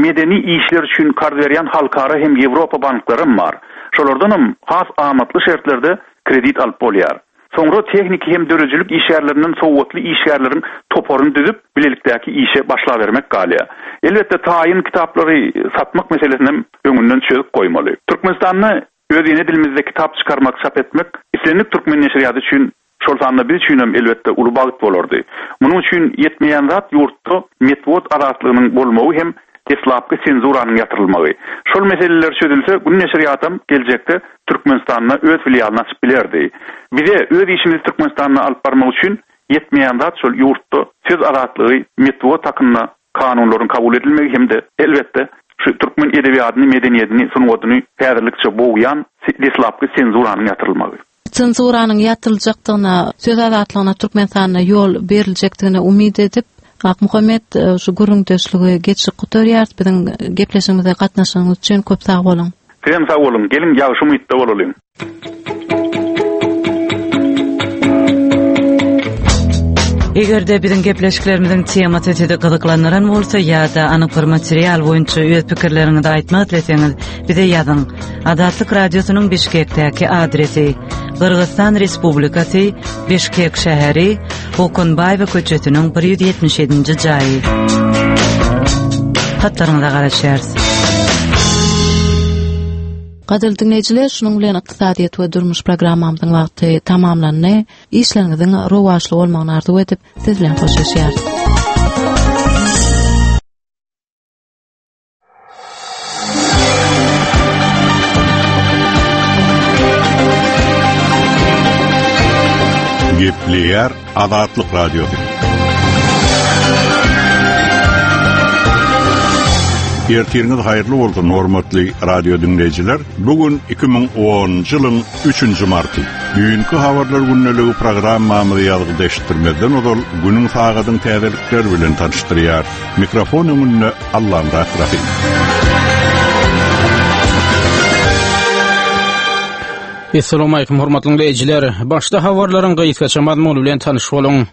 medeni işler üçin karz berýän halkara hem ýewropa banklaram bar. Şolardanam has amatly şertlerde kredit alyp bolýar. Soňra tehniki hem döredijilik işgärlerinden sowatly işgärleriň toparyny düzüp, bilelikdäki işe başlabermek galýar. Elbetde, taýyn kitaplary satmak meselesinem öňünden çözüp goýmaly. Türkmenistanda öz ene dilimizde kitap çykarmak, çap etmek islendik türkmen neşirýaty üçin, şol sanda biz üçinem, elbetde, uly bagt bolardy. Munuň üçin ýetmeýän zat ýurtda metbugat azatlygynyň bolmagy hem deslapky senzuranyň ýatyrylmagy. Şol meseleler çözülse, Gün neşirýatam geljekde Türkmenistanda öz filialyny açyp bilerdi. Bize öz işimizi Türkmenistanda alyp barmak üçin ýetmeýän zat şol ýurtda söz azatlygy, metbugat hakynda kanunlaryň kabul edilmegi hem-de, elbetde, şu türkmen edebiýadyny, medeniýedini, sungatyny häzirlikçe bogýan deslapky senzuranyň ýatyrylmagy. Senzuranyň ýatyryljakdygyna, söz azatlygyna Türkmenistanda ýol beriljekdigine umyt edip, Akmuhammet, şu gürrüňdeşligi geçip gutarýarys. Biziň gepleşigimize gatnaşanyňyz üçin köp sag boluň! Sizem sag boluň! Geliň ýagşy umytda bolalyň! Eger-de biziň gepleşiklerimiziň temasy sizi gyzyklandyran bolsa ýa-da anyk bir material boýunça öz pikirleriňizi aýtmak isleseňiz, bize ýazyň. Azatlyk Radiosynyň Bişkekdäki adresi: Gyrgyzystan Respublikasy, Bişkek şäheri, Okunbaýewa köçesiniň 177-nji jaýy. Hatlaryňyza garaşýarys. Gadyrly diňleýjiler, şunuň bilen ykdysadyýet we durmuş programmamyzyň wagty tamamlandy. Işleriňiziň rowaçly bolmagyny arzuw edip, siz bilen hoşlaşýarys. Gepleýär Azatlyk Radiosy. Ertiriňiz haýyrly bolsun, hormatly radio diňleýjiler. Bu gün 2010-njy ýylyň 3-nji marty. Düýnki habarlar gündeligi programmamyzy ýazgyda eşitdirmezden ozal günüň sagadyň täzelikleri bilen tanyşdyrýar. Mikrofon öňünde Allamyrat Rahym. Assalamualaikum hormatly dinleýjiler. Başda habarlaryň gysgaça mazmuny bilen tanyş boluň.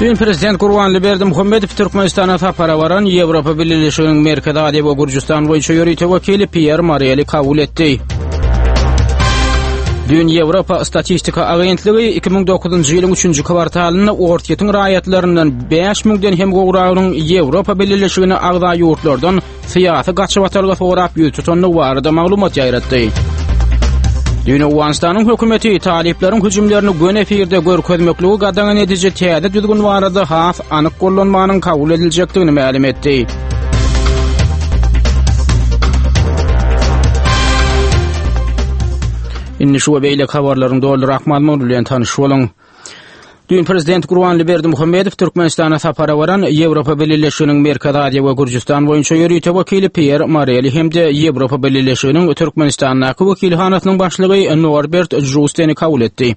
Düýn prezident Gurbanly Berdimuhamedow Türkmenistana sapara baran Ýewropa Bileleşiginiň Merkezi Aziýa we Gürjüstan boýunça ýörite wekili Pýer Moreli kabul etdi. Düýn Ýewropa statistika agentligi 2009-njy ýylyň 3-nji kwartalynda Orsýetiň raýatlaryndan 5000-den hem gowragynyň Ýewropa Bileleşigine agza ýurtlardan syýasy gaçybatalga sorap ýüz tutandygy barada maglumat ýaýratdy. Düýn Owganystanyň hökümeti talyplaryň hüjümlerini göni efirde görkezmekligi gadagan ediji täze düzgün barada has anyk gollanmanyň kabul ediljekdigini mälim etdi. Indi şu we beýleki habarlaryň doly mazmuny bilen tanyş boluň. Düýn prezident Gurbanly Berdimuhamedow Türkmenistana sapara baran Ýewropa Bileleşiginiň Merkezi Aziýa we Gürjüstan boýunça ýörite wekili Pýer Moreli hem-de Ýewropa Bileleşiginiň Türkmenistandaky wekilhanasynyň başlygy Norbert Žusteni kabul etdi.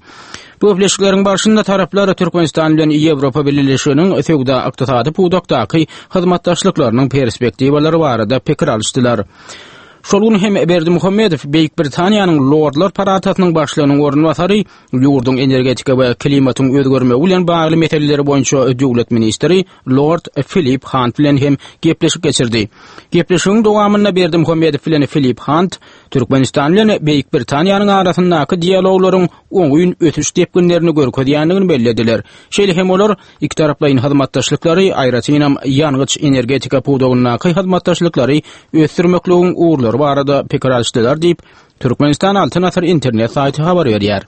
Bu gepleşikleriň barşynda taraplar Türkmenistan bilen Ýewropa Bileleşiginiň söwda-ykdysady pudakdaky hyzmatdaşlyklarynyň perspektiwalary barada pikir alyşdylar. Şol gün hem Berdimuhamedow Beýik Britaniýanyň Lordlar palatasynyň başlygynyň orunbasary Ýurduň energetika we klimatyň özgermegi bilen bagly meseleleri boýunça döwlet ministri Lord Filip Hunt bilen hem gepleşik geçirdi. Gepleşigiň dowamynda Berdimuhamedow bilen Filip Hunt Türkmenistan bilen Beýik Britaniýanyň arasyndaky dialoglaryň oňyn ösüş depginlerini görkezýändigini bellediler. Şeýle hem olar ikitaraplaýyn hyzmatdaşlyklary, aýratynam ýangyç-energetika pudagyndaky hyzmatdaşlyklary ösdürmekligiň ugurlary barada pikir alyşdylar diýip, Türkmenistan Altyn Asyr internet saýty habar berýär.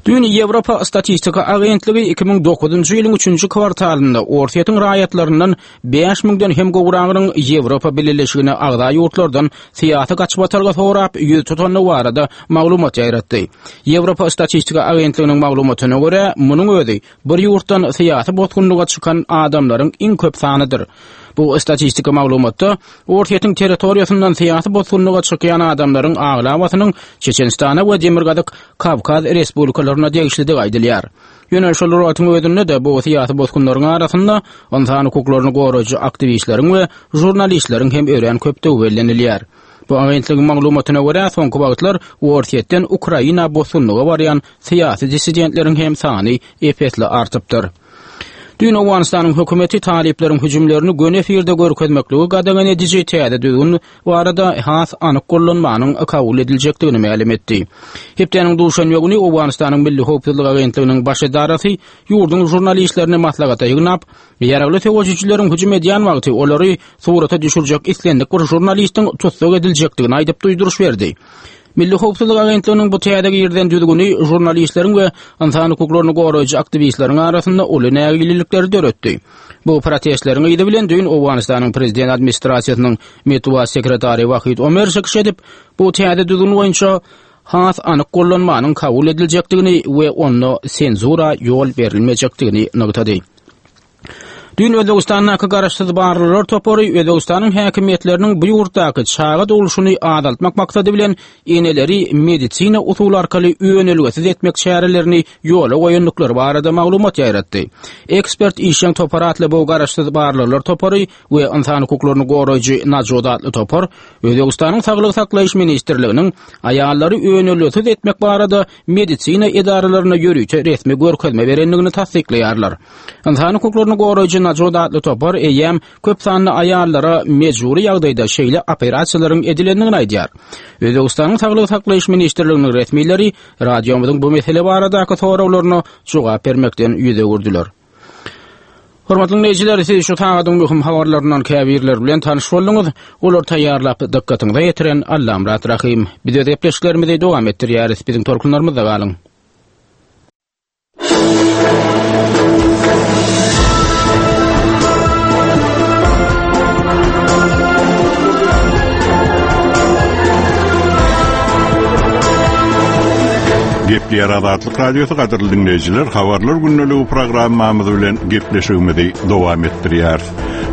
Düýn Ýewropa statistika agentligi 2009-njy ýylyň üçünji kwartalynda Orsýetiň raýatlaryndan 5 müňden hem gowragynyň Ýewropa Bileleşigine agza ýurtlardan syýasy gaçybatalga sorap ýüz tutandygy barada maglumat ýaýratdy. Ýewropa statistika agentliginiň maglumatyna görä, munuň özi bir ýurtdan syýasy bosgunlyga çykan adamlaryň iň köp sanydyr. Bu statistika maglumatda Orsýetiň territoriýasyndan syýasy bosgunlyga çykýan adamlaryň aglabasynyň Çeçenistana we Demirgazyk Kawkaz respublikalaryna degişlidigi aýdylýar. Ýöne şol bir wagtyň özünde-de bu syýasy bosgunlaryň arasynda ynsan hukuklaryny goraýjy aktiwistleriň we žurnalistleriň hem örän köpdügi bellenilýär. Bu agentligiň maglumatyna görä, soňky wagtlar Orsýetden Ukraina bosgunlyga barýan syýasy dissidentleriň hem sany ep-esli artypdyr. Düýn Owganystanyň hökümeti talyplaryň hüjümlerini göni efirde görkezmekligi gadagan ediji täze düzgün barada has anyk gollanmanyň kabul ediljekdigini mälim etdi. Hepdäniň duşenbe güni Owganystanyň Milli howpsuzlyk agentliginiň baş edarasy ýurduň žurnalistlerini maslahata ýygnap, ýaragly söweşijileriň hüjüm edýän wagty olary surata düşürjek islendik bir žurnalistiň tussag ediljekdigini aýdyp duýduryş berdi. Milli howpsuzlyk agentliginiň bu täze girizen düzgüni žurnalistleriň we ynsan hukuklaryny goraýjy aktiwistleriň arasynda uly nägilelikleri döretdi. Bu protestleriň yzy bilen düýn Owganystanyň prezident administrasiýasynyň metbugat sekretary Wahid Omer çykyş edip, bu täze düzgün boýunça has anyk gollanmanyň kabul ediljekdigini we onda senzura ýol berilmejekdigini nygtady. Düýn Özbegistandaky garaşsyz barlaglar topary Özbegistanyň häkimiýetleriniň bu ýurtdaky çaga dogluşyny azaltmak maksady bilen eneleri medisina usuly arkaly önelgesiz etmek çärelerini ýola goýandyklary barada maglumat ýaýratdy. Ekspert işjeň topar atly bu garaşsyz barlaglar topary we ynsan hukuklaryny goraýjy Najot atly topar Özbegistanyň Saglygy saklaýyş ministrliginiň aýallary önelgesiz etmek barada medisina edaralaryna ýörite resmi görkezme berendigini tassyklaýarlar. Ynsan hukuklaryny goraýjy Najot atly topar eýýäm köp sanly aýallara mejbury ýagdaýda şeýle operasiýalaryň edilendigini aýdýar. Özbegistanyň Saglygy saklaýyş ministrliginiň resmileri radiomyzyň bu mesele baradaky soraglaryna jogap bermekden ýüz öwürdiler. Hormatly diňleýjiler, siz şu sagadyň möhüm habarlaryndan käbirleri bilen tanyş bolduňyz. Olary taýýarlap, dykgatyňyza ýetiren Allamyrat Rahym. Biz öz gepleşiklerimizi dowam etdirýäris. Biziň tolkunlarymyzda galyň. Gepleýär Azatlyk Radiosy gadyrly diňleýjiler, habarlar gündeligi programmamyz bilen gepleşigimizi dowam etdirýäris.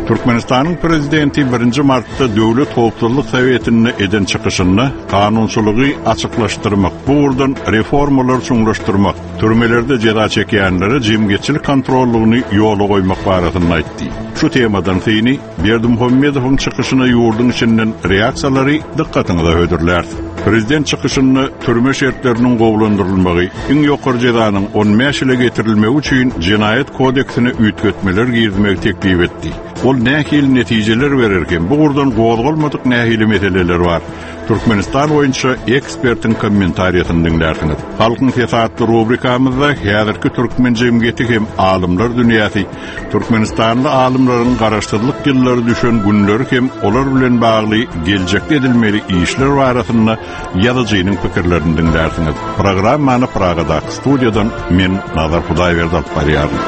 Türkmenistanyň prezidenti 1-nji martda Döwlet howpsuzlyk sowetinde eden çykyşynda kanunçylygy açyklaşdyrmak, bu ugurdan reformalary çuňlaşdyrmak, türmelerde jeza çekýänlere jemgyýetçilik kontrollygyny ýola goýmak barasynda aýtdy. Şu temadan syny Berdimuhamedowyň çykyşyna ýurduň içinden reaksiýalary dykgatyňyza hödürläris. Prezident çykyşynda türme şertleriniň gowulandyrylmagy, iň ýokary jezanyň 15 ýyla getirilmegi üçin Jenaýat kodeksine üýtgetmeler girizmegi teklip etdi. Ol nähili netijeler berer hem bu ugurdan gozgalmadyk nähili meseleler bar? Türkmenistan boýunça ekspertiň kommentariýasyny diňlärsiňiz. Halkyň sesi atly rubrikamyzda häzirki türkmen jemgyýeti hem alymlar dünýäsi, Türkmenistanly alymlaryň garaşsyzlyk ýyllary düşen günleri hem olar bilen bagly geljekde edilmeli işler barasynda ýazyjynyň pikirlerini diňlärsiňiz. Programmany Pragadaky studiýadan men Nazar Hudaýberdi alyp barýaryn.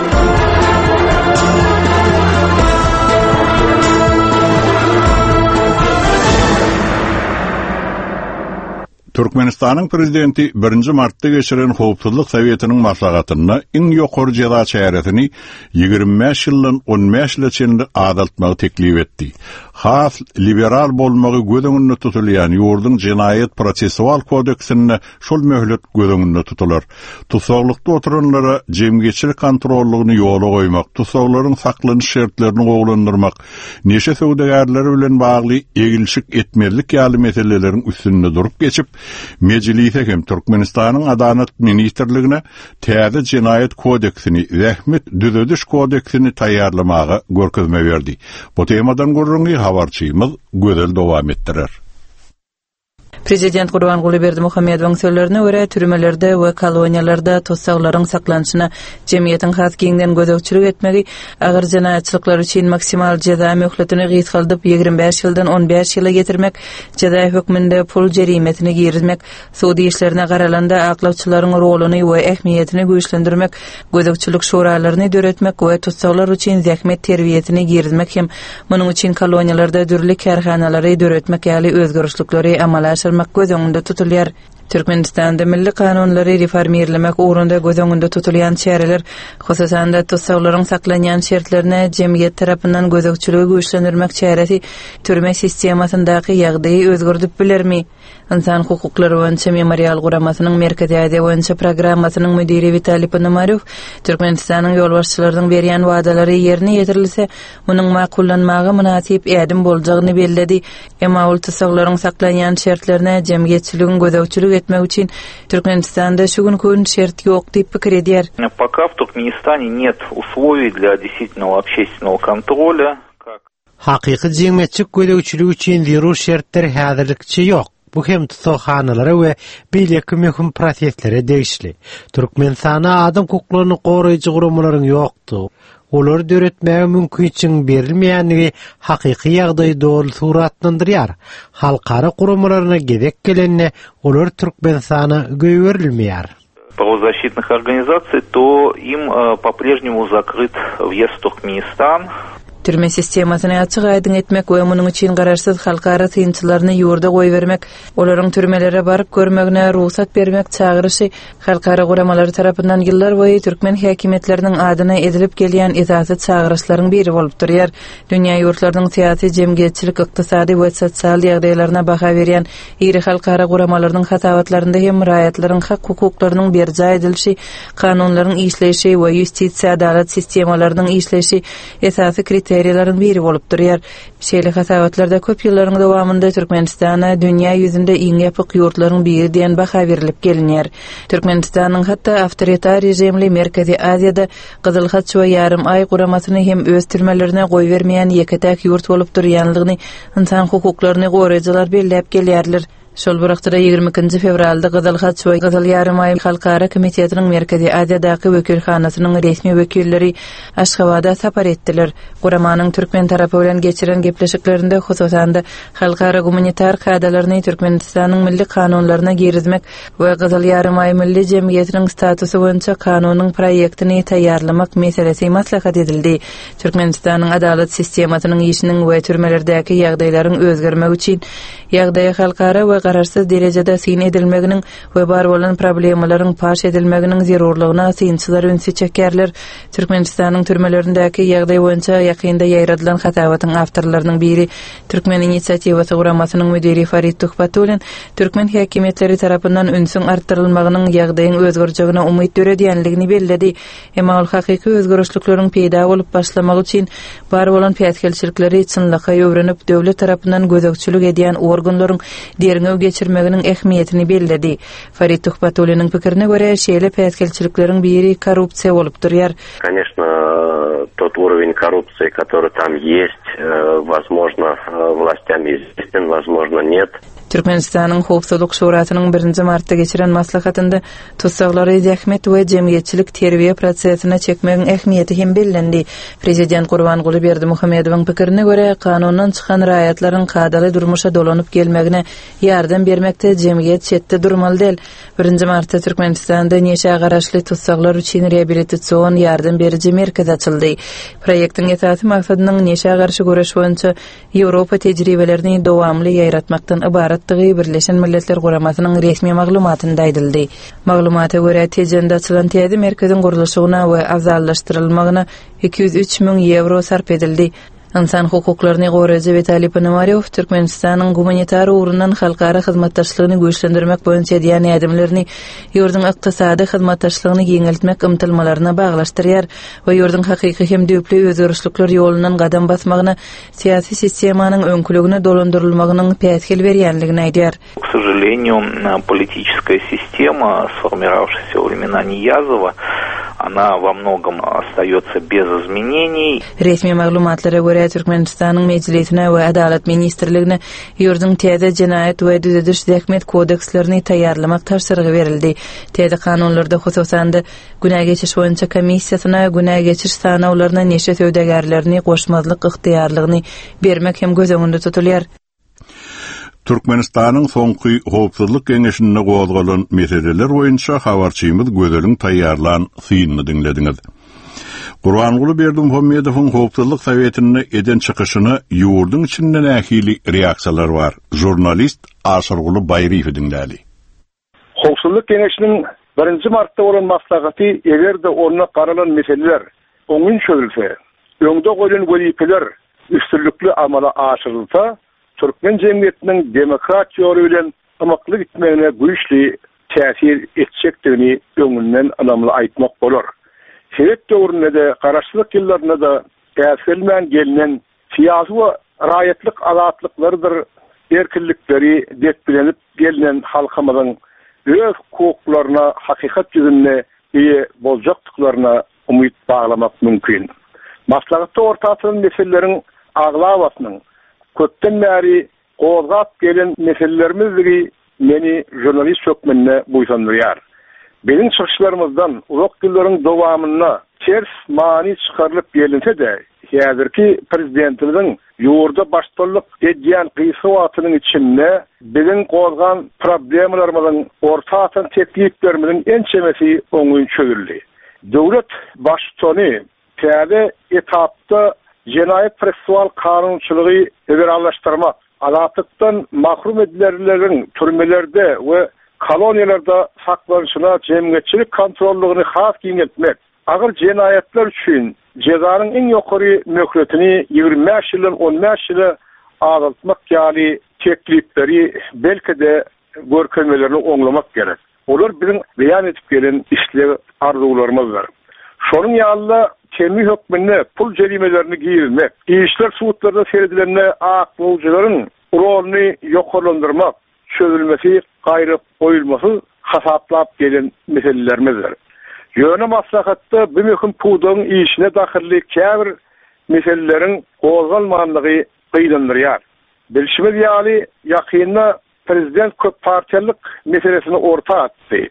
Türkmenistanyň Prezidenti birinji martda geçiren Howpsuzlyk Sowetiniň maslahatynda iň ýokary jeza çäresini 25 ýyldan 15 ýyla çenli azaltmagy teklip etdi. Has liberal bolmagy göz öňünde tutulýan ýurduň Jenaýat-prosessual kodeksinde şol möhlet göz öňünde tutular. Tussaglykda oturanlara jemgyýetçilik kontrollygyny ýola goýmak, tussaglaryň saklanyş şertlerini gowulandyrmak, neşe söwdagärleri bilen bagly egilşik etmezlik ýaly meseleleriň üstünde durup geçip, Mejlise hem Türkmenistanyň Adalat ministrligine täze Jenaýat kodeksini, Zähmet düzediş kodeksini taýýarlamaga görkezme berdi. Bu temadan gürrüňi habarçymyz Gözel dowam etdirer. Prezident Gurbanguly Berdimuhamedowyň sözlerine görä, türmelerde we koloniýalarda tussaglaryň saklanyşyna jemgyýetiň has giňden gözegçilik etmegi agyr jenaýatçylyklar üçin maksimal jeza möhletini gysgaldyp, 25 ýyldan 15 ýyla getirmek, jeza hökmünde pul jerimesini girizmek, sud işlerine garalanda aklawçylaryň roluny we ähmiýetini güýçlendirmek, gözegçilik şuralaryny döretmek we tussaglar üçin zähmet terbiýesini girizmek hem munuň üçin koloniýalarda dürli kärhanalary döretmek ýaly özgerişlikleri amala aşyrmak göz öňünde tutulýar. Türkmenistanda milli kanunlary reformirlemek ugrunda göz öňünde tutulýan çäreler, hususan-da, tussaglaryň saklanýan şertlerine jemgyýet tarapyndan gözegçiligi güýçlendirmek çäresi türme sistemasyndaky ýagdaýy özgerdip bilermi? Ynsan hukuklary boýunça Memorial guramasynyň Merkezi Aziýa boýunça programmasynyň müdiri Witaliý Ponomarýow Türkmenistanyň ýolbaşçylarynyň berýän wadalary ýerine ýetirilse, munuň makullanmaga mynasyp ädim boljagyny belledi. Emma ol tussaglaryň saklanýan şertlerine jemgyýetçiligiň gözegçilik etmegi üçin Türkmenistanda şu günki gün şert ýok diýip pikir edýär. Пока в Туркменистане нет условий для действительного общественного контроля, как. Hakyky jemgyýetçilik gözegçiligi üçin zerur şertler häzirlikçe ýok. Bu hem tussaghanalara we beýleki möhüm proseslere degişli. Türkmenistanda adam hukuklaryny goraýjy guramalaryň ýokdugy, olary döretmäge mümkinçiligiň berilmeýändigi hakyky ýagdaýy doly suratlandyrýar. Halkara guramalaryna gezek gelende, olar Türkmenistana goýberilmeýär. Правозащитных организаций, то им по-прежнему закрыт въезд в Туркменистан. Türme sistemasyny açyk-aýdyň etmek we munuň üçin garaşsyz halkara synçylaryny ýurda goýbermek, olaryň türmelere baryp görmegine rugsat bermek çagyryşy halkara guramalary tarapyndan ýyllarboýy türkmen häkimiýetleriniň adyna edilip gelýän esasy çagyryşlaryň biri bolup durýar. Dünýä ýurtlarynyň syýasy, jemgyýetçilik, ykdysady we sosial ýagdaýlaryna baha berýän iri halkara guramalarynyň hasabatlarynda hem raýatlaryň hak-hukuklarynyň berjaý edilişi, kanunlaryň işleýşi we ýustisiýa-adalat sistemalarynyň işleýşi esasy kriteriýalaryň biri bolup durýar. Şeýle hasabatlarda köp ýyllaryň dowamynda Türkmenistana dünýä ýüzünde iň ýapyk ýurtlaryň biri diýen baha berlip gelinýär. Türkmenistanyň hatda awtoritar režimli Merkezi Aziýada Gyzyl Haç we Ýarym Aý guramasyny hem öz türmelerine goýbermeýän ýeke-täk ýurt bolup durýanlygyny ynsan hukuklaryny goraýjylar belläp gelýärler. Şol bir wagtda 22-nji fewralda Gyzyl Haç we Gyzyl Ýarymaý Halkara komitetiniň Merkezi Aziýadaky wekilhanasynyň resmi wekilleri Aşgabada sapar etdiler. Guramanyň türkmen tarapy bilen geçiren gepleşiklerinde, hususan-da, halkara gumanitar kadalaryny Türkmenistanyň milli kanunlaryna girizmek we Gyzyl Ýarymaý Milli jemgyýetiniň statusy boýunça kanunyň proýektini taýýarlamak meselesi maslahat edildi. Türkmenistanyň adalat sistemasynyň işiniň we türmelerdäki ýagdaýlaryň özgermegi üçin ýagdaýa halkara we garaşsyz derejede syn edilmeginiň we bar bolan problemalaryň paş edilmeginiň zerurlygyna synçylar ünsi çekýärler. Türkmenistanyň türmelerindäki ýagdaý boýunça ýakynda ýaýradylan hasabatyň awtorlarynyň biri Türkmen inisiatiwasy guramasynyň müdiri Farid Tuhbatullin türkmen häkimiýetleri tarapyndan ünsüň artdyrylmagynyň ýagdaýyň özgerjegine umyt döredýänligini belledi. Emma ol hakyky özgerişlikleriň peýda bolup başlamagy üçin bar bolan päsgelçilikleri çynlakaý öwrenip, döwlet tarapyndan gözegçilik edýän organlaryň derňew geçirmeginiň ähmiýetini belledi. Farid Tuhbatulliniň pikirine görä, şeýle päsgelçilikleriň biri korrupsiýa bolup durýar. Koneçno, tot urowen korrupsiýi, kotoryý tam ýest, wozmožno, wlastyam izwestin, wozmožno, net. Türkmenistanyň Howpsuzlyk Şurasynyň birinji martda geçiren maslahatynda Tussaglary zähmet we jemgyýetçilik terbiýe prosesine çekmegiň ähmiýeti hem bellendi. Prezident Gurbanguly Berdimuhamedowyň pikirine görä, kanundan çykan raýatlaryň kadaly durmuşa dolanyp gelmegine ýardam bermekde jemgyýet çetde durmaly däl. Birinji martda Türkmenistanda neşä garaşly tussaglar üçin reabilitasion ýardam beriji merkez açyldy. Proýektiň esasy maksadynyň neşä garşy göreş boýunça Ýewropa tejribelerini dowamly ýaýratmakdan ybaratdygy Birleşen Milletler Guramasynyň resmi maglumatynda aýdyldy. Maglumata görä, Tejende açylan täze merkeziň gurluşygyna we abzallaşdyrylmagyna 203 müň ýewro sarp edildi. Ynsan hukuklaryny goraýjy Witaliý Ponomarýow Türkmenistanyň gumanitar ugrundan halkara hyzmatdaşlygyny güýçlendirmek boýunça edýän ädimlerini ýurduň ykdysady hyzmatdaşlygyny giňeltmek ymtylmalaryna baglaşdyrýar. we ýurduň hakyky hem düýpli özgerişlikler ýolundan gadam basmagyna syýasy sistemanyň öňküligine dolandyrylmagynyň päsgel berýänligini aýdýar. K sožaleniýu, politiçeskaýa sistema, sformirawşaýasya wo wremena Niýazowa, ona wo mnogom ostaýotsa bez izmeneniý. Resmi maglumatlara görä, Türkmenistanyň Mejlisine we Adalat ministrligine ýurduň täze Jenaýat we Düzediş-zähmet kodekslerini taýýarlamak tabşyrygy berildi. Täze kanunlarda, hususan-da, Günä geçiş boýunça komissiýasyna günä geçiş sanawlaryna neşe söwdagärlerini goşmazlyk ygtyýarlygyny bermek hem göz öňünde tutulýar. Türkmenistanyň soňky Howpsuzlyk geňeşinde gozgalan meseleler boýunça habarçymyz Gözeliň taýýarlan synyny diňlediňiz. Gurbanguly Berdimuhamedowyň Howpsuzlyk Sowetinde eden çykyşyna ýurduň içinde nähili reaksiýalar bar? Žurnalist Aşyrguly Baýryýewi diňläli. Howpsuzlyk Geňeşiniň birinji martda bolan maslahaty eger-de onda garalan meseleler oňyn çözülse, öňde goýlan wezipeler üstünlikli amala aşyrylsa, türkmen jemgyýetiniň demokrat ýoly bilen ymykly gitmegine güýçli täsir etjekdigini öňünden ynamly aýtmak bolar. Sowet döwründe-de, garaşsyzlyk ýyllarynda-da äsgermän gelnen Syýasy we raýatlyk azatlyklarydyr erkinlikleri depgilenip gelnen halkymyzyň öz hukuklaryna hakykat ýüzünde eýe boljakdyklaryna umyt baglamak mümkin. Maslahatda orta atylan meseleleriň aglabasynyň köpden bäri Gozgap gelen meselelerimizligi meni žurnalist hökmünde buýsandyrýar. Biziň çykyşlarymyzdan uzak ýyllaryň dowamynda ters many çykarylyp gelinse-de, häzirki Prezidentimiziň ýurda baştutanlyk edýän gysga wagtynyň içinde biziň gozgan problemalarymyzyň, orta atan tekliplerimiziň ençemesi oňyn çözüldi. Döwlet Baştutany Täze etapda Jenaýat-prosessual kanunçylygy liberallaşdyrmak, azatlykdan mahrum edilenleriň türmelerde we koloniýalarda saklanyşyna jemgyýetçilik kontrollygyny has giňeltmek, agyr jenaýatlar üçin jezanyň iň ýokary möhletini 25 ýyldan 15 ýyla azaltmak ýaly teklipleri belki-de görkezmelerini oňlamak gerek. Olar biziň beýan edip gelen isleg-arzuwlarymyzdyr. Şonuň ýaly-da, temmi hökmünde pul jerimelerini girizmek, işler sudlarda seredilende aklawjylaryň roluny ýokarlandyrmak çözülmesi gaýragoýulmasyz hasaplap gelen meselelerimizdir. Ýöne maslahatda bu möhüm pudagyň işine dahylly käbir meseleleriň gozgalmanlygy gynandyrýar. Bilşimiz ýaly, ýakynda Prezident köppartiýalylyk meselesini orta atdy.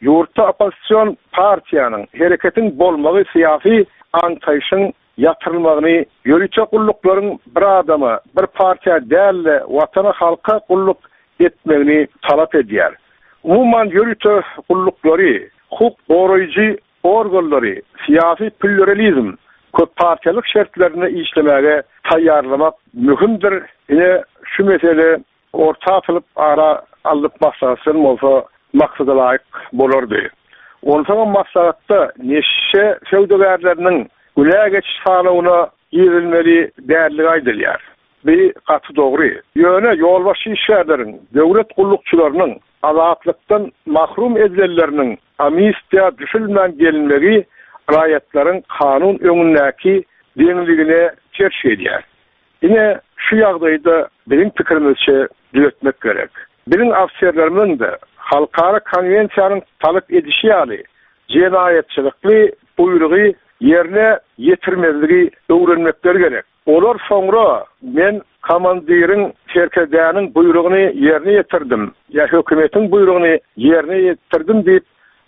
Ýurtda oppozision partiýanyň, hereketiň bolmagy syýasy aňtaýşyň ýatyrylmagyny, ýörite gulluklaryň bir adama, bir partiýa däl-de, Watana, halka gulluk etmegini talap edýär. Umuman, ýörite gulluklary, hukuk goraýjy organlary syýasy plýuralizm, köppartiýalyk şertlerinde işlemäge taýýarlamak möhümdir. Ine, şu mesele orta atylyp, ara alnyp maslahatlaşylan bolsa maksada laýyk bolardy. Onsoňam maslahatda neşe söwdagärleriniň günä geçiş sanawyna girizilmeli däldigi aýdylýar. Bi gaty dogry. Ýöne ýolbaşçy işgärleriň, döwlet gullukçylarynyň azatlykdan mahrum edilenleriniň amnistiýa düşülmän gelinmegi raýatlaryň kanun öňündäki deňligine ters gelýär. Ine, şu ýagdaýy-da biziň pikirimizçe düzetmek gerek. Biziň ofiserlerimiziň-de halkara konwensiýanyň talap edişi ýaly jenaýatçylykly buýrugy ýerine ýetirmezligi öwrenmekleri gerek. Olar soňra men komandiriň, serkerdäniň buýrugyny ýerine ýetirdim ýa hökümetiň buýrugyny ýerine ýetirdim diýip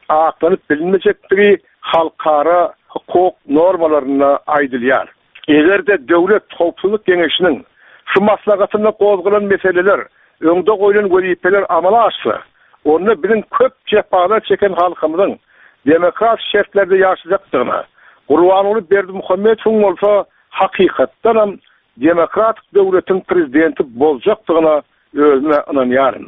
aklanyp bilinmejekdigi halkara hukuk normalarynda aýdylýar. Eger-de Döwlet howpsuzlyk geňeşiniň şu maslahatynda gozgalan meseleler, öňde goýlan wezipeler amala aşsa, onda biziň köp jepalar çeken halkymyzyň demokratik şertlerde ýaşajakdygyna, Gurbanguly Berdimuhamedowyň bolsa hakykatdanam demokratik döwletiň prezidenti boljakdygyna özüm-ä ynanýaryn.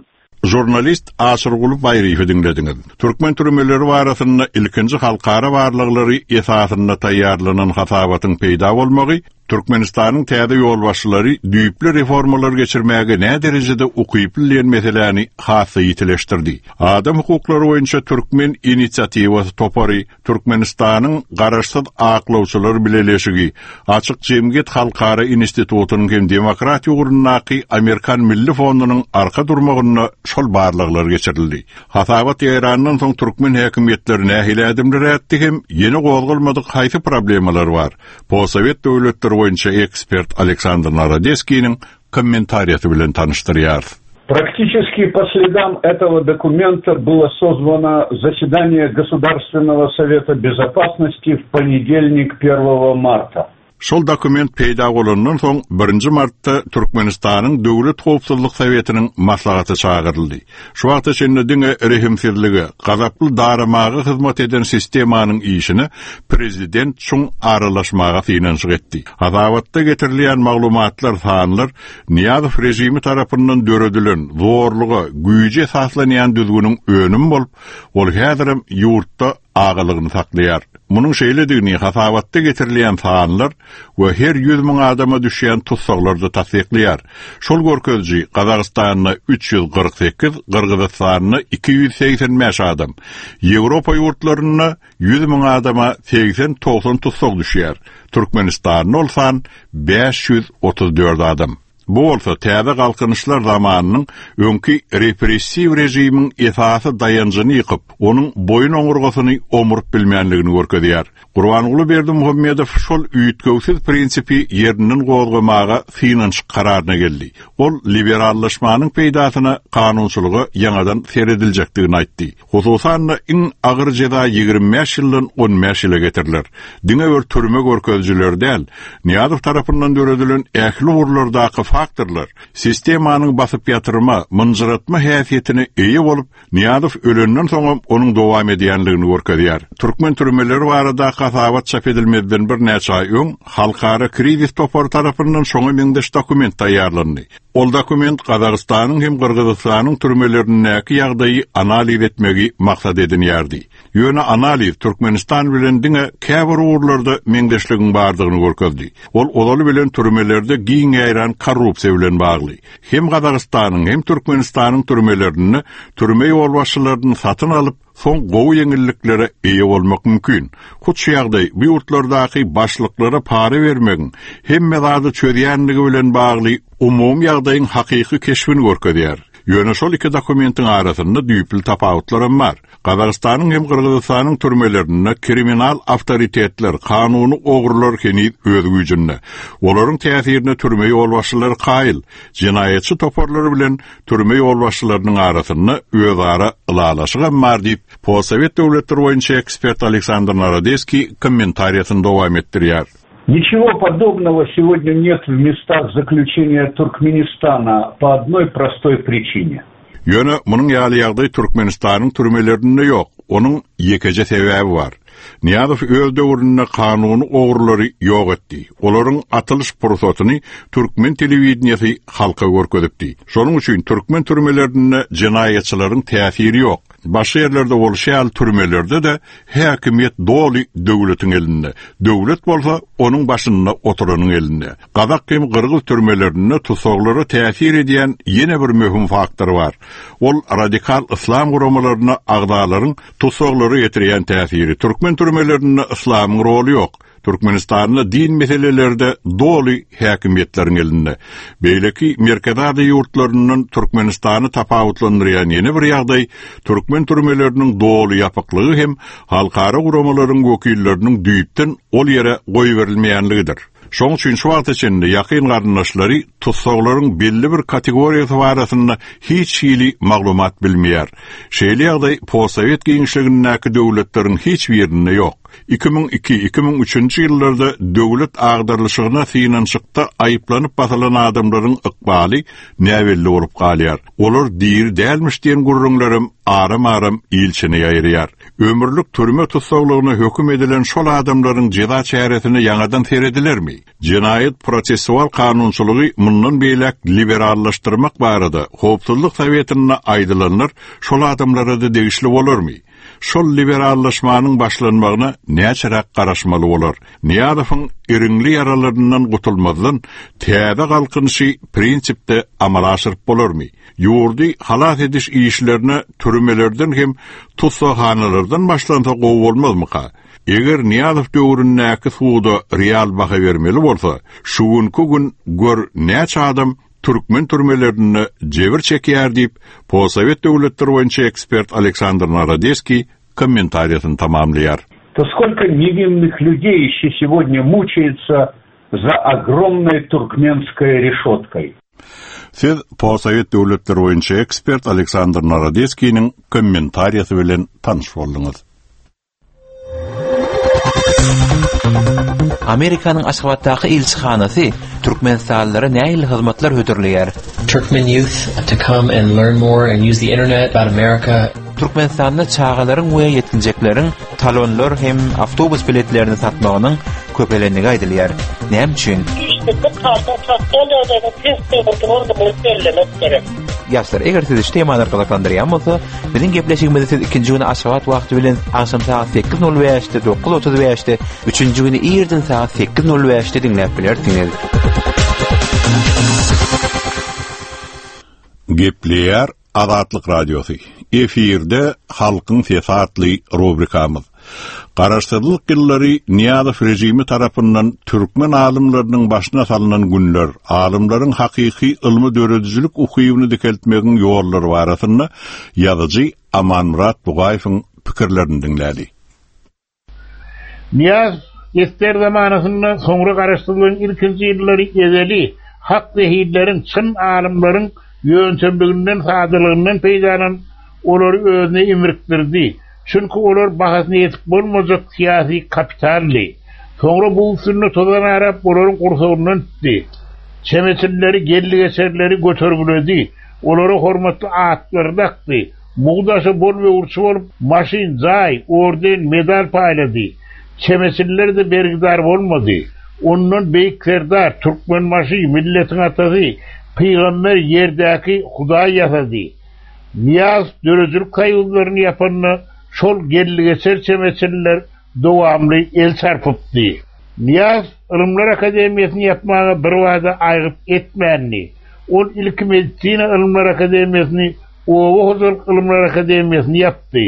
Žurnalist Aşyrguly Baýryýewi diňlediňiz. Türkmen türmeleri barasynda ilkinji halkara barlaglary esasynda taýýarlanan hasabatyň peýda bolmagy Türkmenistanyň täze ýolbaşçylary düýpli reformalary geçirmäge näderejede ukyply diýen meseläni has-da ýitileşdirdi. Adam hukuklary boýunça Türkmen inisiatiwasy topary, Türkmenistanyň Garaşsyz aklawçylar bileleşigi, Açyk jemgyýet halkara institutynyň hem demokratiýa ugrundaky Amerikan milli fondunyň arka durmagynda şol barlaglar geçirildi. Hasabat ýaýrandan soň türkmen häkimiýetleri nähili ädimler ätdi hem ýene gozgalmadyk haýsy problemalar bar? Postsowet döwletleri boýunça ekspert Aleksandr Narodeskiniň kommentariýasy bilen tanyşdyrýarys. Практически по следам этого документа было созвано заседание Государственного совета безопасности в понедельник 1 марта. Şol dokument peýda bolandan soň, birinji martda Türkmenistanyň Döwlet howpsuzlyk sowetiniň maslahaty çagyryldy. Şu wagta çenli diňe rehimsizlige, gazaply daramaga hyzmat eden sistemanyň işine prezident çuň aralaşmaga synanyşyk etdi. Hasabatda getirilýän maglumatlar, sanlar Nyýazow režimi tarapyndan döredilen zorluga, güýje esaslanýan düzgüniň önümi bolup, ol häzirem ýurtda agalygyny saklaýar. Munuň şeýledigini hasabatda getirilýän sanlar we her 100 müň adama düşýän tussaglar-da tassyklaýar. Şol görkeziji Gazagystanda 348, Gyrgyzystanda 285 adam, Ýewropa ýurtlarynda 100 müň adama 80-90 tussag düşýär. Türkmenistanda ol san 534 adam. Bu bolsa täze galkynyşlar zamanynyň öňki repressiw režimiň esasy daýanjyny ýykyp, onuň boýun oňurgasyny omuryp bilmänligini görkezýär. Gurbanguly Berdimuhamedow şol üýtgewsiz prinsipi ýerinden gozgamaga synanyşyk kararyna geldi. Ol liberallaşmanyň peýdasyna kanunçylyga ýaňadan serediljekdigini aýtdy. Hususan-da, iň agyr jeza 25 ýyldan 15 ýyla getiriler. Diňe bir türme görkezijileri däl, Nyýazow tarapyndan döredilen ähli ugurlardaky faktorlar sistemanyň basyp ýatyrma, mynjyratma häsiýetine eýe bolup, Nyýazow ölenden soňam onuň dowam edýänligini görkezýär. Türkmen türmeleri baradaky hasabat çap edilmezden birnäçe aý öň Halkara krizis topary tarapyndan şoňa meňzeş dokument taýýarlandy. Ol dokument Gazagystanyň hem Gyrgyzystanyň türmelerindäki ýagdaýy analiz etmegi maksat edinýärdi. Ýöne analiz Türkmenistan bilen diňe käbir ugurlarda meňzeşligiň bardygyny görkezdi. Ol ozaly bilen türmelerde giň ýaýran korrupsiýa bilen bagly. Hem Gazagystanyň, hem Türkmenistanyň türmelerinde türme ýolbaşçylaryny satyn alyp, soň gowy ýeňilliklere eýe bolmak mümkin. Hut şu ýagdaý bu ýurtlardaky başlyklara para bermegiň hemme zady çözýänligi bilen bagly umumy ýagdaýyň hakyky keşbini görkezýär. Ýöne şol iki dokumentiň arasynda düýpli tapawutlaram bar. Gazagystanyň hem Gyrgyzystanyň türmelerinde kriminal awtoritetler, kanuny ogrular heniz öz güýjünde. Olaryň täsirine türme ýolbaşçylary kaýyl. Jenaýatçy toparlar bilen türme ýolbaşçylarynyň arasynda özara ylalaşygam bar diýip, postsowet döwletleri boýunça ekspert Aleksandr Narodeskiý kommentariýasyny dowam etdirýär. Ничего подобного сегодня нет в местах заключения Туркменистана по одной простой причине. Ýöne munuň ýaly ýagdaý Türkmenistanyň türmelerinde ýok. Onuň ýekeje sebäbi bar. Nyýazow öz döwründe kanuny ogrulary ýok etdi. Olaryň atylyş pursatyny türkmen telewideniýesi halka görkezipdi. Şonuň üçin türkmen türmelerinde jenaýatçylaryň täsiri ýok. Başga ýerlerde bolşy ýaly türmelerde-de häkimiýet doly döwletiň elinde. Döwlet bolsa onuň başynda oturanyň elinde. Gazak hem gyrgyz türmelerinde tussaglara täsir edýän ýene bir möhüm faktor bar. Ol radikal yslam guramalaryna agzalaryň tussaglara ýetirýän täsiri. Türkmen türmelerinde yslamyň roly ýok. Türkmenistanda din meseleleri-de doly häkimiýetleriň elinde. Beýleki Merkezi Aziýa ýurtlaryndan Türkmenistany tapawutlandyrýan ýene bir ýagdaý, türkmen türmeleriniň doly ýapyklygy hem halkara guramalaryň wekilleriniň düýpden ol ýere goýberilmeýänligidir. Şoň üçin şu wagta çenli ýakyn garyndaşlary tussaglaryň belli bir kategoriýasy barasynda hiç hili maglumat bilmeýär. Şeýle ýagdaý postsowet giňişligindäki döwletleriň hiç birinde ýok. 2002, 2003-nji ýyllarda döwlet agdarylyşygyna synanyşykda aýyplanyp basylan adamlaryň ykbaly näbelli bolup galýar. Olar diri dälmiş diýen gürrüňlerem aram-aram il içine ýaýraýar. Ömürlik türme tussaglygyna höküm edilen şol adamlaryň jeza çäresine ýaňadan seredilermi? Jenaýat prosessual kanunçylygy mundan beýläk liberallaşdyrmak barada Howpsuzlyk Sowetinde aýdylanlar şol adamlara-da degişli bolarmy? Şol liberallaşmanyň başlanmagyna näçeräk garaşmaly bolar? Nyýazowyň iriňli ýaralaryndan gutulmazdan täze galkynyşy prinsipde amala aşyryp bolarmy? Ýurdy halas ediş işlerine türmelerden hem tussaghanalardan başlansa gowy bolmazmyka? Eger Nyýazow döwründäki suda real baha bermeli bolsa, şu günki gün gör näçe adam türkmen türmelerinde jebir çekýär diýip, postsowet döwletleri boýunça ekspert Aleksandr Narodeskiý kommentariýasyny tamamlaýar. То сколько невинных людей еще сегодня мучается за огромной туркменской решеткой? Siz postsowet döwletleri boýunça ekspert Aleksandr Narodeskiniň kommentariýasy bilen tanyş bolduňyz. Amerikanyň Aşgabatdaky ilçihanasy türkmenistanlylara nähili hyzmatlar hödürleýär? Turkmen youth to come and learn more and use the internet about America. Türkmenistanda çagalaryň we ýetginjekleriň talonlar hem awtobus biletlerini satmagynyň köpelendigi aýdylýar. Näme üçin? Işsizlik halkyň sosial ýagdaýynyň pes durandygyny bellemek gerek. Ýaşlar, eger sizi şu temalar gyzyklandyrýan bolsa, biziň gepleşigimizi siz ikinji güni Aşgabat wagty bilen agşam sagat 8:05-de, 9:35-de, üçünji güni irden sagat 8:05-de diňläp bilersiňiz. Gepleýär Azatlyk Radiosy, Efirde Halkyň sesi atly rubrikamyz. Garaşsyzlyk ýyllary Nyýazow režimi tarapyndan türkmen alymlarynyň başyna salnan günler, alymlaryň hakyky ylmy-döredijilik ukybyny dikeltmegiň ýollary barasynda ýazyjy Amanmyrat Bugaýewiň pikirlerini diňläli. Nyýazow esger zamanasynda, soňra garaşsyzlygyň ilkinji ýyllary ezeli hak zehinleriň, çyn alymlaryň ýöntemliginden, sadalygyndan peýdalanyp, olary özüne imrikdirdi. Çünki olar bahasyna ýetip bolmajak syýasy kapitaldy. Soňra bug üstünde tozan arap, olaryň gursagyndan tutdy. Çemeçilleri, geldi-geçerleri götergiledi. Olara hormatly atlary dakdy. Mugt aşa bol böwürçi bolup, maşyn, jaý, orden, medal paýlady. Çemeçiller-de bergidar bolmady. Ondan Beýik Serdar, Türkmenbaşy, milletiň atasy, pygamber ýerdäki Hudaý ýasady. Nyýazow döredijilik soýuzlaryny ýapanda şol geldi-geçer çemeçiller dowamly el çarpypdy. Nyýazow Ylymlar akademiýasyny ýapmaga birbada aýgyt etmändi. Ol ilki Medisina ylymlar akademiýasyny, Oba hojalyk ylymlar akademiýasyny ýapdy.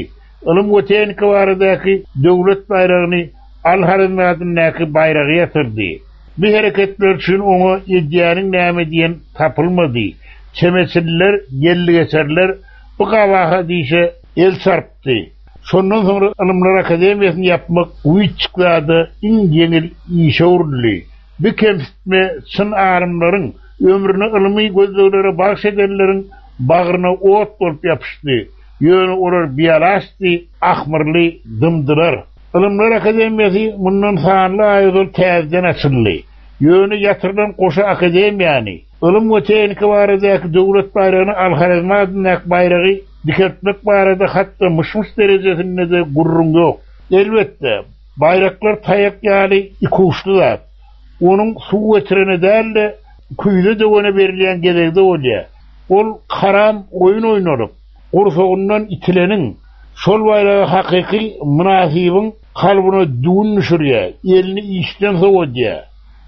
Ylym we tehnika baradaky döwlet baýragyny Al-Horezmi adyndaky baýragy ýatyrdy. Bu hereketler üçin oňa edýäniň näme diýen tapylmady. Çemeçililer, geldi-geçerler bu gabahat işe el çarpdy. Şondan soňra Ylymlar akademiýasyny ýapmak güýçjik zada iň ýeňil işe öwrüldi. Bu kemsitme çyn alymlaryň, ömrüni ylmy gözleglere bagyş edenleriň bagryna ot bolup ýapyşdy. Ýöne olar bialaçdy, ahmyrly dymdylar. Ylymlar akademiýasy mundan sanly aý ozal täzeden açyldy. Ýöne ýatyrylan goşa akademiýany, Ylym we tehnika baradaky döwlet baýragyny Al-Horezmi adyndaky baýragy dikeltmek barada hatda myş-myş derejesinde-de gürrüň ýok. Elbetde, baýraklar taýak ýaly ikuçly zat. Onuň suw getirene däl-de, küýze döwene berilýän gezegi-de bolýar. Ol karam oýun oýnalyp, gursagyndan itileniň, şol baýraga hakyky mynasybyň kalbyna düwün düşürýär, elini işden sowadýar.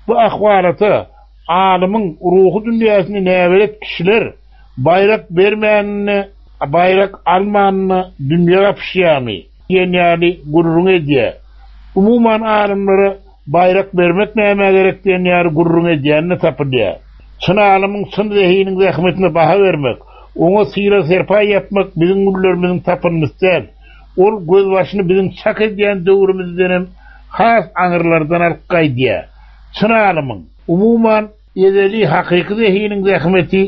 Bu ahwalata alymyň ruhy dünýäsine näbelet kişiler baýrak bermänine, baýrak almanyna dünýe gapyşýarmy diýen ýaly gürrüň edýär. Umuman alymlara Baýrak bermek nämä gerek diýen ýaly gürrüň edýän-de tapylýar. Çyn alymyň, çyn zehiniň zähmetine baha bermek, oňa sylag-serpaý ýapmak biziň günlerimiziň tapyndysy däl. Ol gözbaşyny biziň çak edýän döwrümizdenem has aňyrlardan alyp gaýdýar. Çyn alymyň, umuman, ezeli hakyky zehiniň zähmeti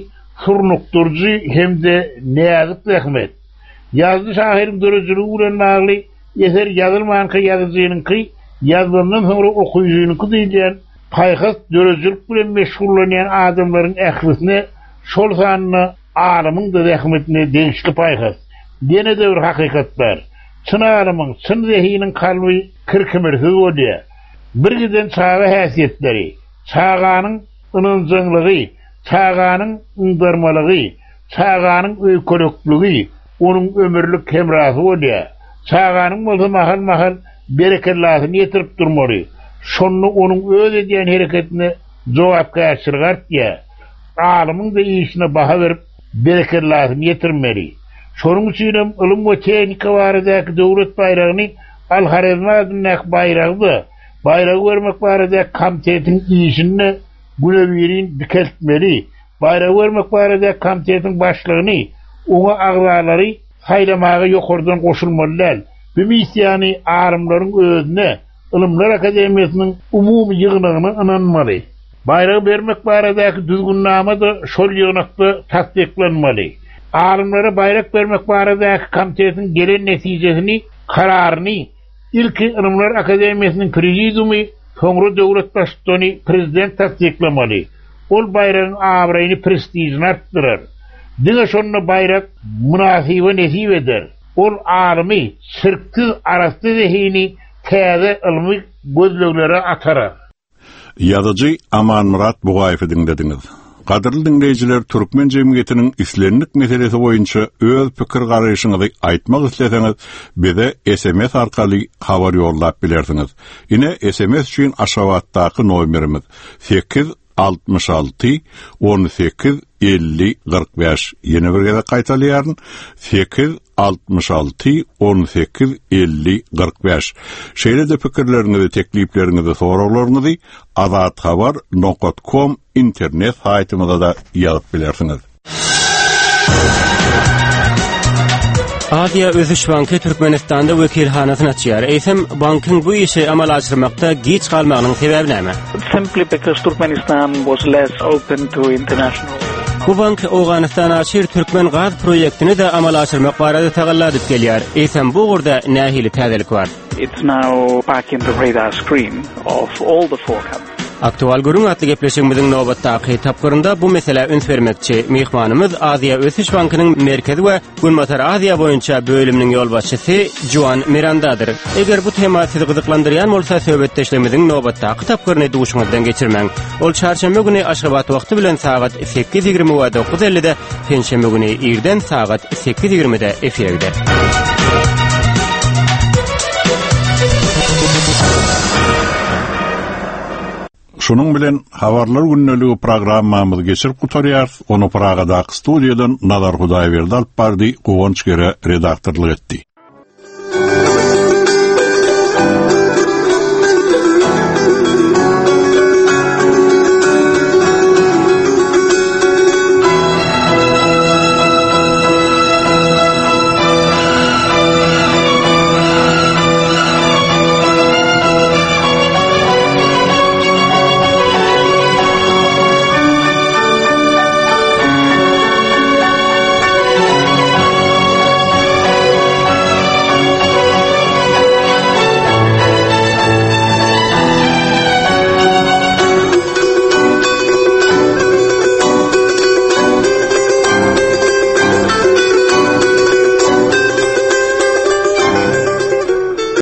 surnukdyryjy hem-de näzik zähmet. Ýazyjy şahyryň döredijiligi bilen bagly Eser ýazylmanka ýazyjynyňky, ýazylandan soňra okyjynyňky diýilýän paýhas döredijilik bilen meşgullanýan adamlaryň ählisine, şol sanda alymyň-da zähmetine degişli paýhas. Ýene-de bir hakykat bar. Çyn alymyň, çyn zehiniň kalby kir-kimirsiz bolýar. Birgiden çaga häsiýetleri, çaganyň ynanjaňlygy, çaganyň yňdarmalygy, çaganyň öýkelekligi, onuň ömürlik hemrasy bolýar. Çaganyň bolsa mahal-mahal berekellasyny ýetirip durmaly. Şonda onuň öz edýän hereketine jogapkärçiligi artýar. Alymyň-da işine baha berip, berekellasyny ýetirmeli. Şonuň üçinem ylym we tehnika baradaky döwlet baýragyny Al-Horezmi adyndaky baýragy-da, baýragy bermek baradaky komitetiň işini-de günebirin dikeltmeli. Baýragy bermek barada komitetiň başlygyny, oňa agzalary saýlamaga ýokardan goşulmaly däl. Bu missiýany alymlaryň özüne, Ylymlar akademiýasynyň umumy ýygnagyna ynanmaly. Baýragy bermek baradaky düzgünnama-da şol ýygnakda tassyklanmaly. Alymlara baýrak bermek baradaky komitetiň gelen netijesini, kararyny Ilki Ylymlar akademiýasynyň prezidiumy, soňra döwlet baştutany prezident tassyklamaly. Ol baýragyň abraýyny, prestižini artdyrar. Diňe şonda baýrak mynasyba nesip eder. Ol alymy, çirksiz arassa zehini täze ylmy gözleglere atarar. Ýazyjy Amanmyrat Bugaýewi diňlediňiz. Gadyrly diňleýjiler türkmen jemgyýetiniň islendik meselesi boýunça öz pikir-garaýşyňyzy aýtmak isleseňiz bize sms arkaly habar ýollap bilersiňiz. Ine sms üçin Aşgabatdaky nomerimiz 8 66 18 50 45 ýene bir gezek gaýtalaýaryn 8 66 18 50 45 Şeýle-de pikirleriňizi, teklipleriňizi, soraglaryňyzy azathabar nokat kom internet saýtymyza-da ýazyp bilersiňiz. Aziýa ösüş banky Türkmenistanda wekilhanasyny açýar. Eýsem, bankyň bu işi amala aşyrmakda giç galmagynyň sebäbi näme? Simply because Turkmenistan was less open to international Bu bank Owganystan-Aşyr türkmen gaz proýektini-de amala aşyrmak barada tagalla edip gelýär. Eýsem, bu ugurda nähili täzelik bar? It's now back in the radar screen of all the four countries. Aktual gürrüň atly gepleşigimiziň nobatdaky tapgyrynda bu meselä üns bermekçi. Myhmanymyz Aziýa ösüş bankynyň Merkezi we Günbatar Aziýa boýunça bölüminiň ýolbaşçysy Juan Mirandadyr. Eger bu tema sizi gyzyklandyrýan bolsa, söhbetdeşligimiziň nobatdaky tapgyryny duşuňyzdan geçirmäň. Ol çarşenbe güni Aşgabat wagty bilen sagat 8:20 we 9:50-de, penşenbe güni irden sagat 8:20-de efire gider. Şunuň bilen Habarlar gündeligi programmamyzy geçirip gutarýarys, ony Pragadaky studiýadan Nazar Hudaýberdi alyp bardy, Guwanç Gere redaktorlyk etdi.